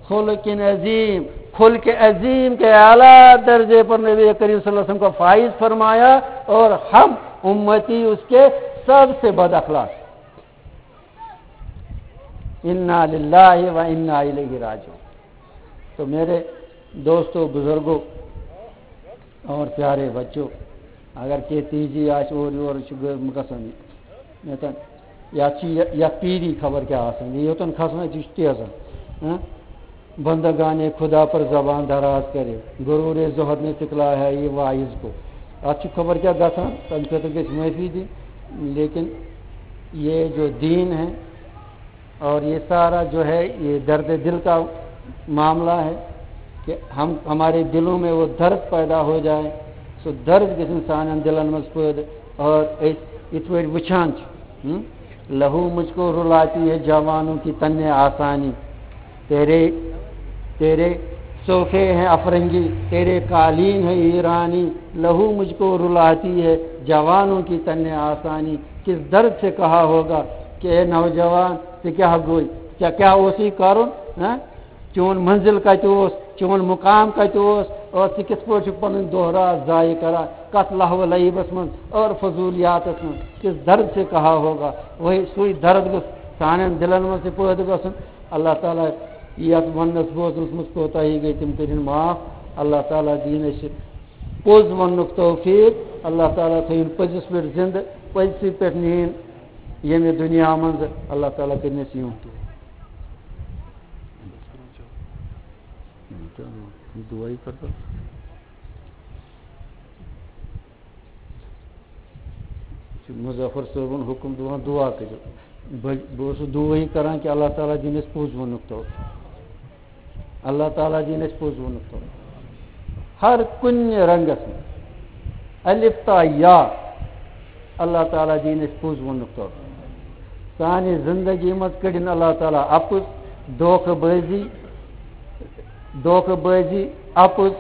خلق عظیم، خلق عظیم کے اعلیٰ درجے پر نبی کریم صلی اللہ علیہ وسلم کو فائز فرمایا، اور ہم امتی اس کے سب سے بد اخلاق۔ انا للہ و انا الیہ راجعون۔ تو میرے دوستو، بزرگوں اور پیارے بچوں، اگر کہ تیزی آسہِ اورٕ یورٕ چھُ گٔ-، گژھان یہِ۔ یتن، یتھ چھِ یہِ، یتھ پیٖری خبر کیٛاہ آسان، یہِ یوٚتن کھسان چھِ، یہِ چھُ تیزان۔ ہاں؟ بندگان خدا پر زبان دراز کرے، غرور زہد نے پکڑا ہے یہ واعظ کو۔ اتھ چھُ خبر کیٛاہ گژھان، تمہِ خٲطرٕ گژھِ معٲفی دِنۍ، لیکن یہ جو دین ہے، اور یہ سارا جو ہے، یہ درد دل کا معاملہ ہے کہ ہم، ہمارے دلوں میں وہ درد پیدا ہو جائے، سُہ درد گژھِ انسانن دلن منٛز پٲدٕ۔ اور أسۍ یِتھ پٲٹھۍ وٕچھان چھِ، ہم، لہو مجھ کو رلاتی ہے جوانوں کی تن آسانی، تیرے، تیرے صوفے ہیں افرنگی، تیرے قالین ہے ایرانی، لہو مجھ کو رلاتی ہے جوانوں کی تن آسانی۔ کس درد سے کہا ہوگا کہ اے نوجوان، ژےٚ کیٛاہ گوٚے؟ ژےٚ کیٛاہ اوسُے کرُن؟ ہاں؟ چون منزل کتہِ اوس؟ چون مقام کتہِ اوس؟ اور ژٕ کِتھ پٲٹھۍ چھُکھ پنٕنۍ دۄہ راتھ ضایع کران؟ کتھ لہو و لعیبس منٛز اور فضولیاتس منٛز؟ کس درد سے کہا ہوگا؟ وہی، سُے درد گوٚژھ سانٮ۪ن دلن منٛز تہِ پٲدٕ گژھُن۔ اللہ تعالیٰ یتھ وننس بوزنس منٛز کوتاہی گٔے، تِم کٔرِن معاف۔ اللہ تعالیٰ دِیِن اَسہِ پوٚز وننُک توفیق۔ اللہ تعالیٰ تھٲیِن پٔزِس پٮ۪ٹھ زندٕ، پٔزسٕے پٮ۪ٹھ نِیِن ییٚمہِ دُنیا منٛز۔ اللہ تعالیٰ کٔرِن اَسہِ یِہُنٛد دُعا۔ دُعا یہِ کَرٕ بہٕ۔ چھُ مظفر صٲبُن حُکُم دِوان، دُعا کٔرِو۔ بہٕ، بہٕ اوسُس دُعٲیی کران کہِ اللہ تعالیٰ دِنۍ اَسہِ پوٚز وَنُک توفیٖق۔ اللہ تعالیٰ دِنۍ اَسہِ پوٚز وَنُک توفیٖق۔ ہر کُنہِ رنٛگَس منٛز، الف تا یا، اللہ تعالیٰ دِنۍ اَسہِ پوٚز وَنُک توفیٖق۔ سانہِ زندگی منٛز کٔڑِن اللہ تعالیٰ اَپُز، دھوکہٕ بٲزی، دھوکہٕ بٲزی، اَپُز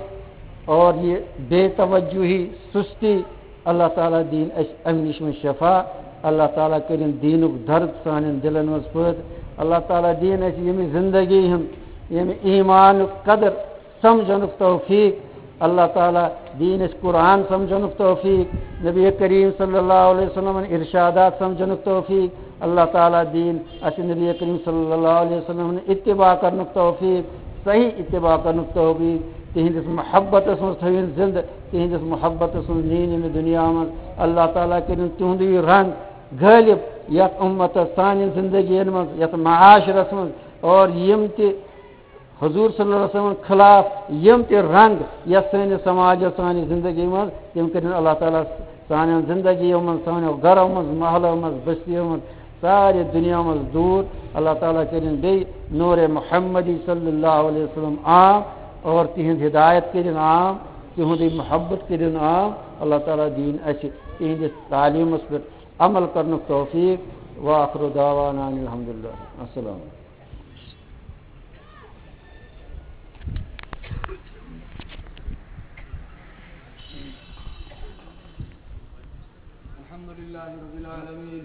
اور یہِ بے توجہی، سُستی، اللہ تعالیٰ دِیِن اَسہِ اَمہِ نِش وۄنۍ شفا۔ اللہ تعالیٰ کٔرِن دیٖنُک درد سانٮ۪ن دِلَن منٛز پٲدٕ۔ اللہ تعالیٰ دِیِن اَسہِ ییٚمہِ زندگی ہُنٛد، ییٚمہِ ایٖمانُک قدر سمجھنُک توفیٖق۔ اللہ تعالیٰ دِیِن اَسہِ قرآن سمجھنُک توفیٖق، نبی کریم صلی اللہ علیہ وسلمن ارشادات سمجھنُک توفیٖق۔ اللہ تعالیٰ دِیِن اَسہِ نبی کریم صلی اللہ علیہ وسلمن اتباع کرنُک توفیٖق، صحیح اتباع کرنُک توفیٖق۔ تِہنٛدِس محبتس منٛز تھٲوِن زندٕ، تِہنٛدِس محبتس منٛز نِیِن ییٚمہِ دُنیا منٛز۔ اللہ تعالیٰ کٔرِن تِہُنٛدُے رنٛگ غٲلب یتھ اُمتس، سانہِ زندگین منٛز، یتھ معاشرس منٛز، اور یِم تہِ حضور صلی اللہ علیہ وسلم خلاف یِم تہِ رنٛگ یتھ سٲنِس سماجس، سانہِ زندگی منٛز، تِم کٔرِن اللہ تعالیٰ سانٮ۪ن زندگیو منٛز، سانٮ۪و گرو منٛز، محلو منٛز، بستیو منٛز، سارے دُنیا منٛز دوٗر۔ اللہ تعالیٰ کٔرِن بیٚیہِ نورِ محمدی صلی اللہ علیہ وسلم عام، اور تِہنٛز ہدایت کٔرِن عام، تِہُنٛدٕے محبت کٔرِن عام۔ اللہ تعالیٰ دِیِن اَسہِ تِہنٛدِس تعلیٖمس پٮ۪ٹھ عمل کرنُک توفیٖق۔ وآخر دعوانا ان الحمدللہ۔ السلام علیکم۔ الحمد لله رب العالمين.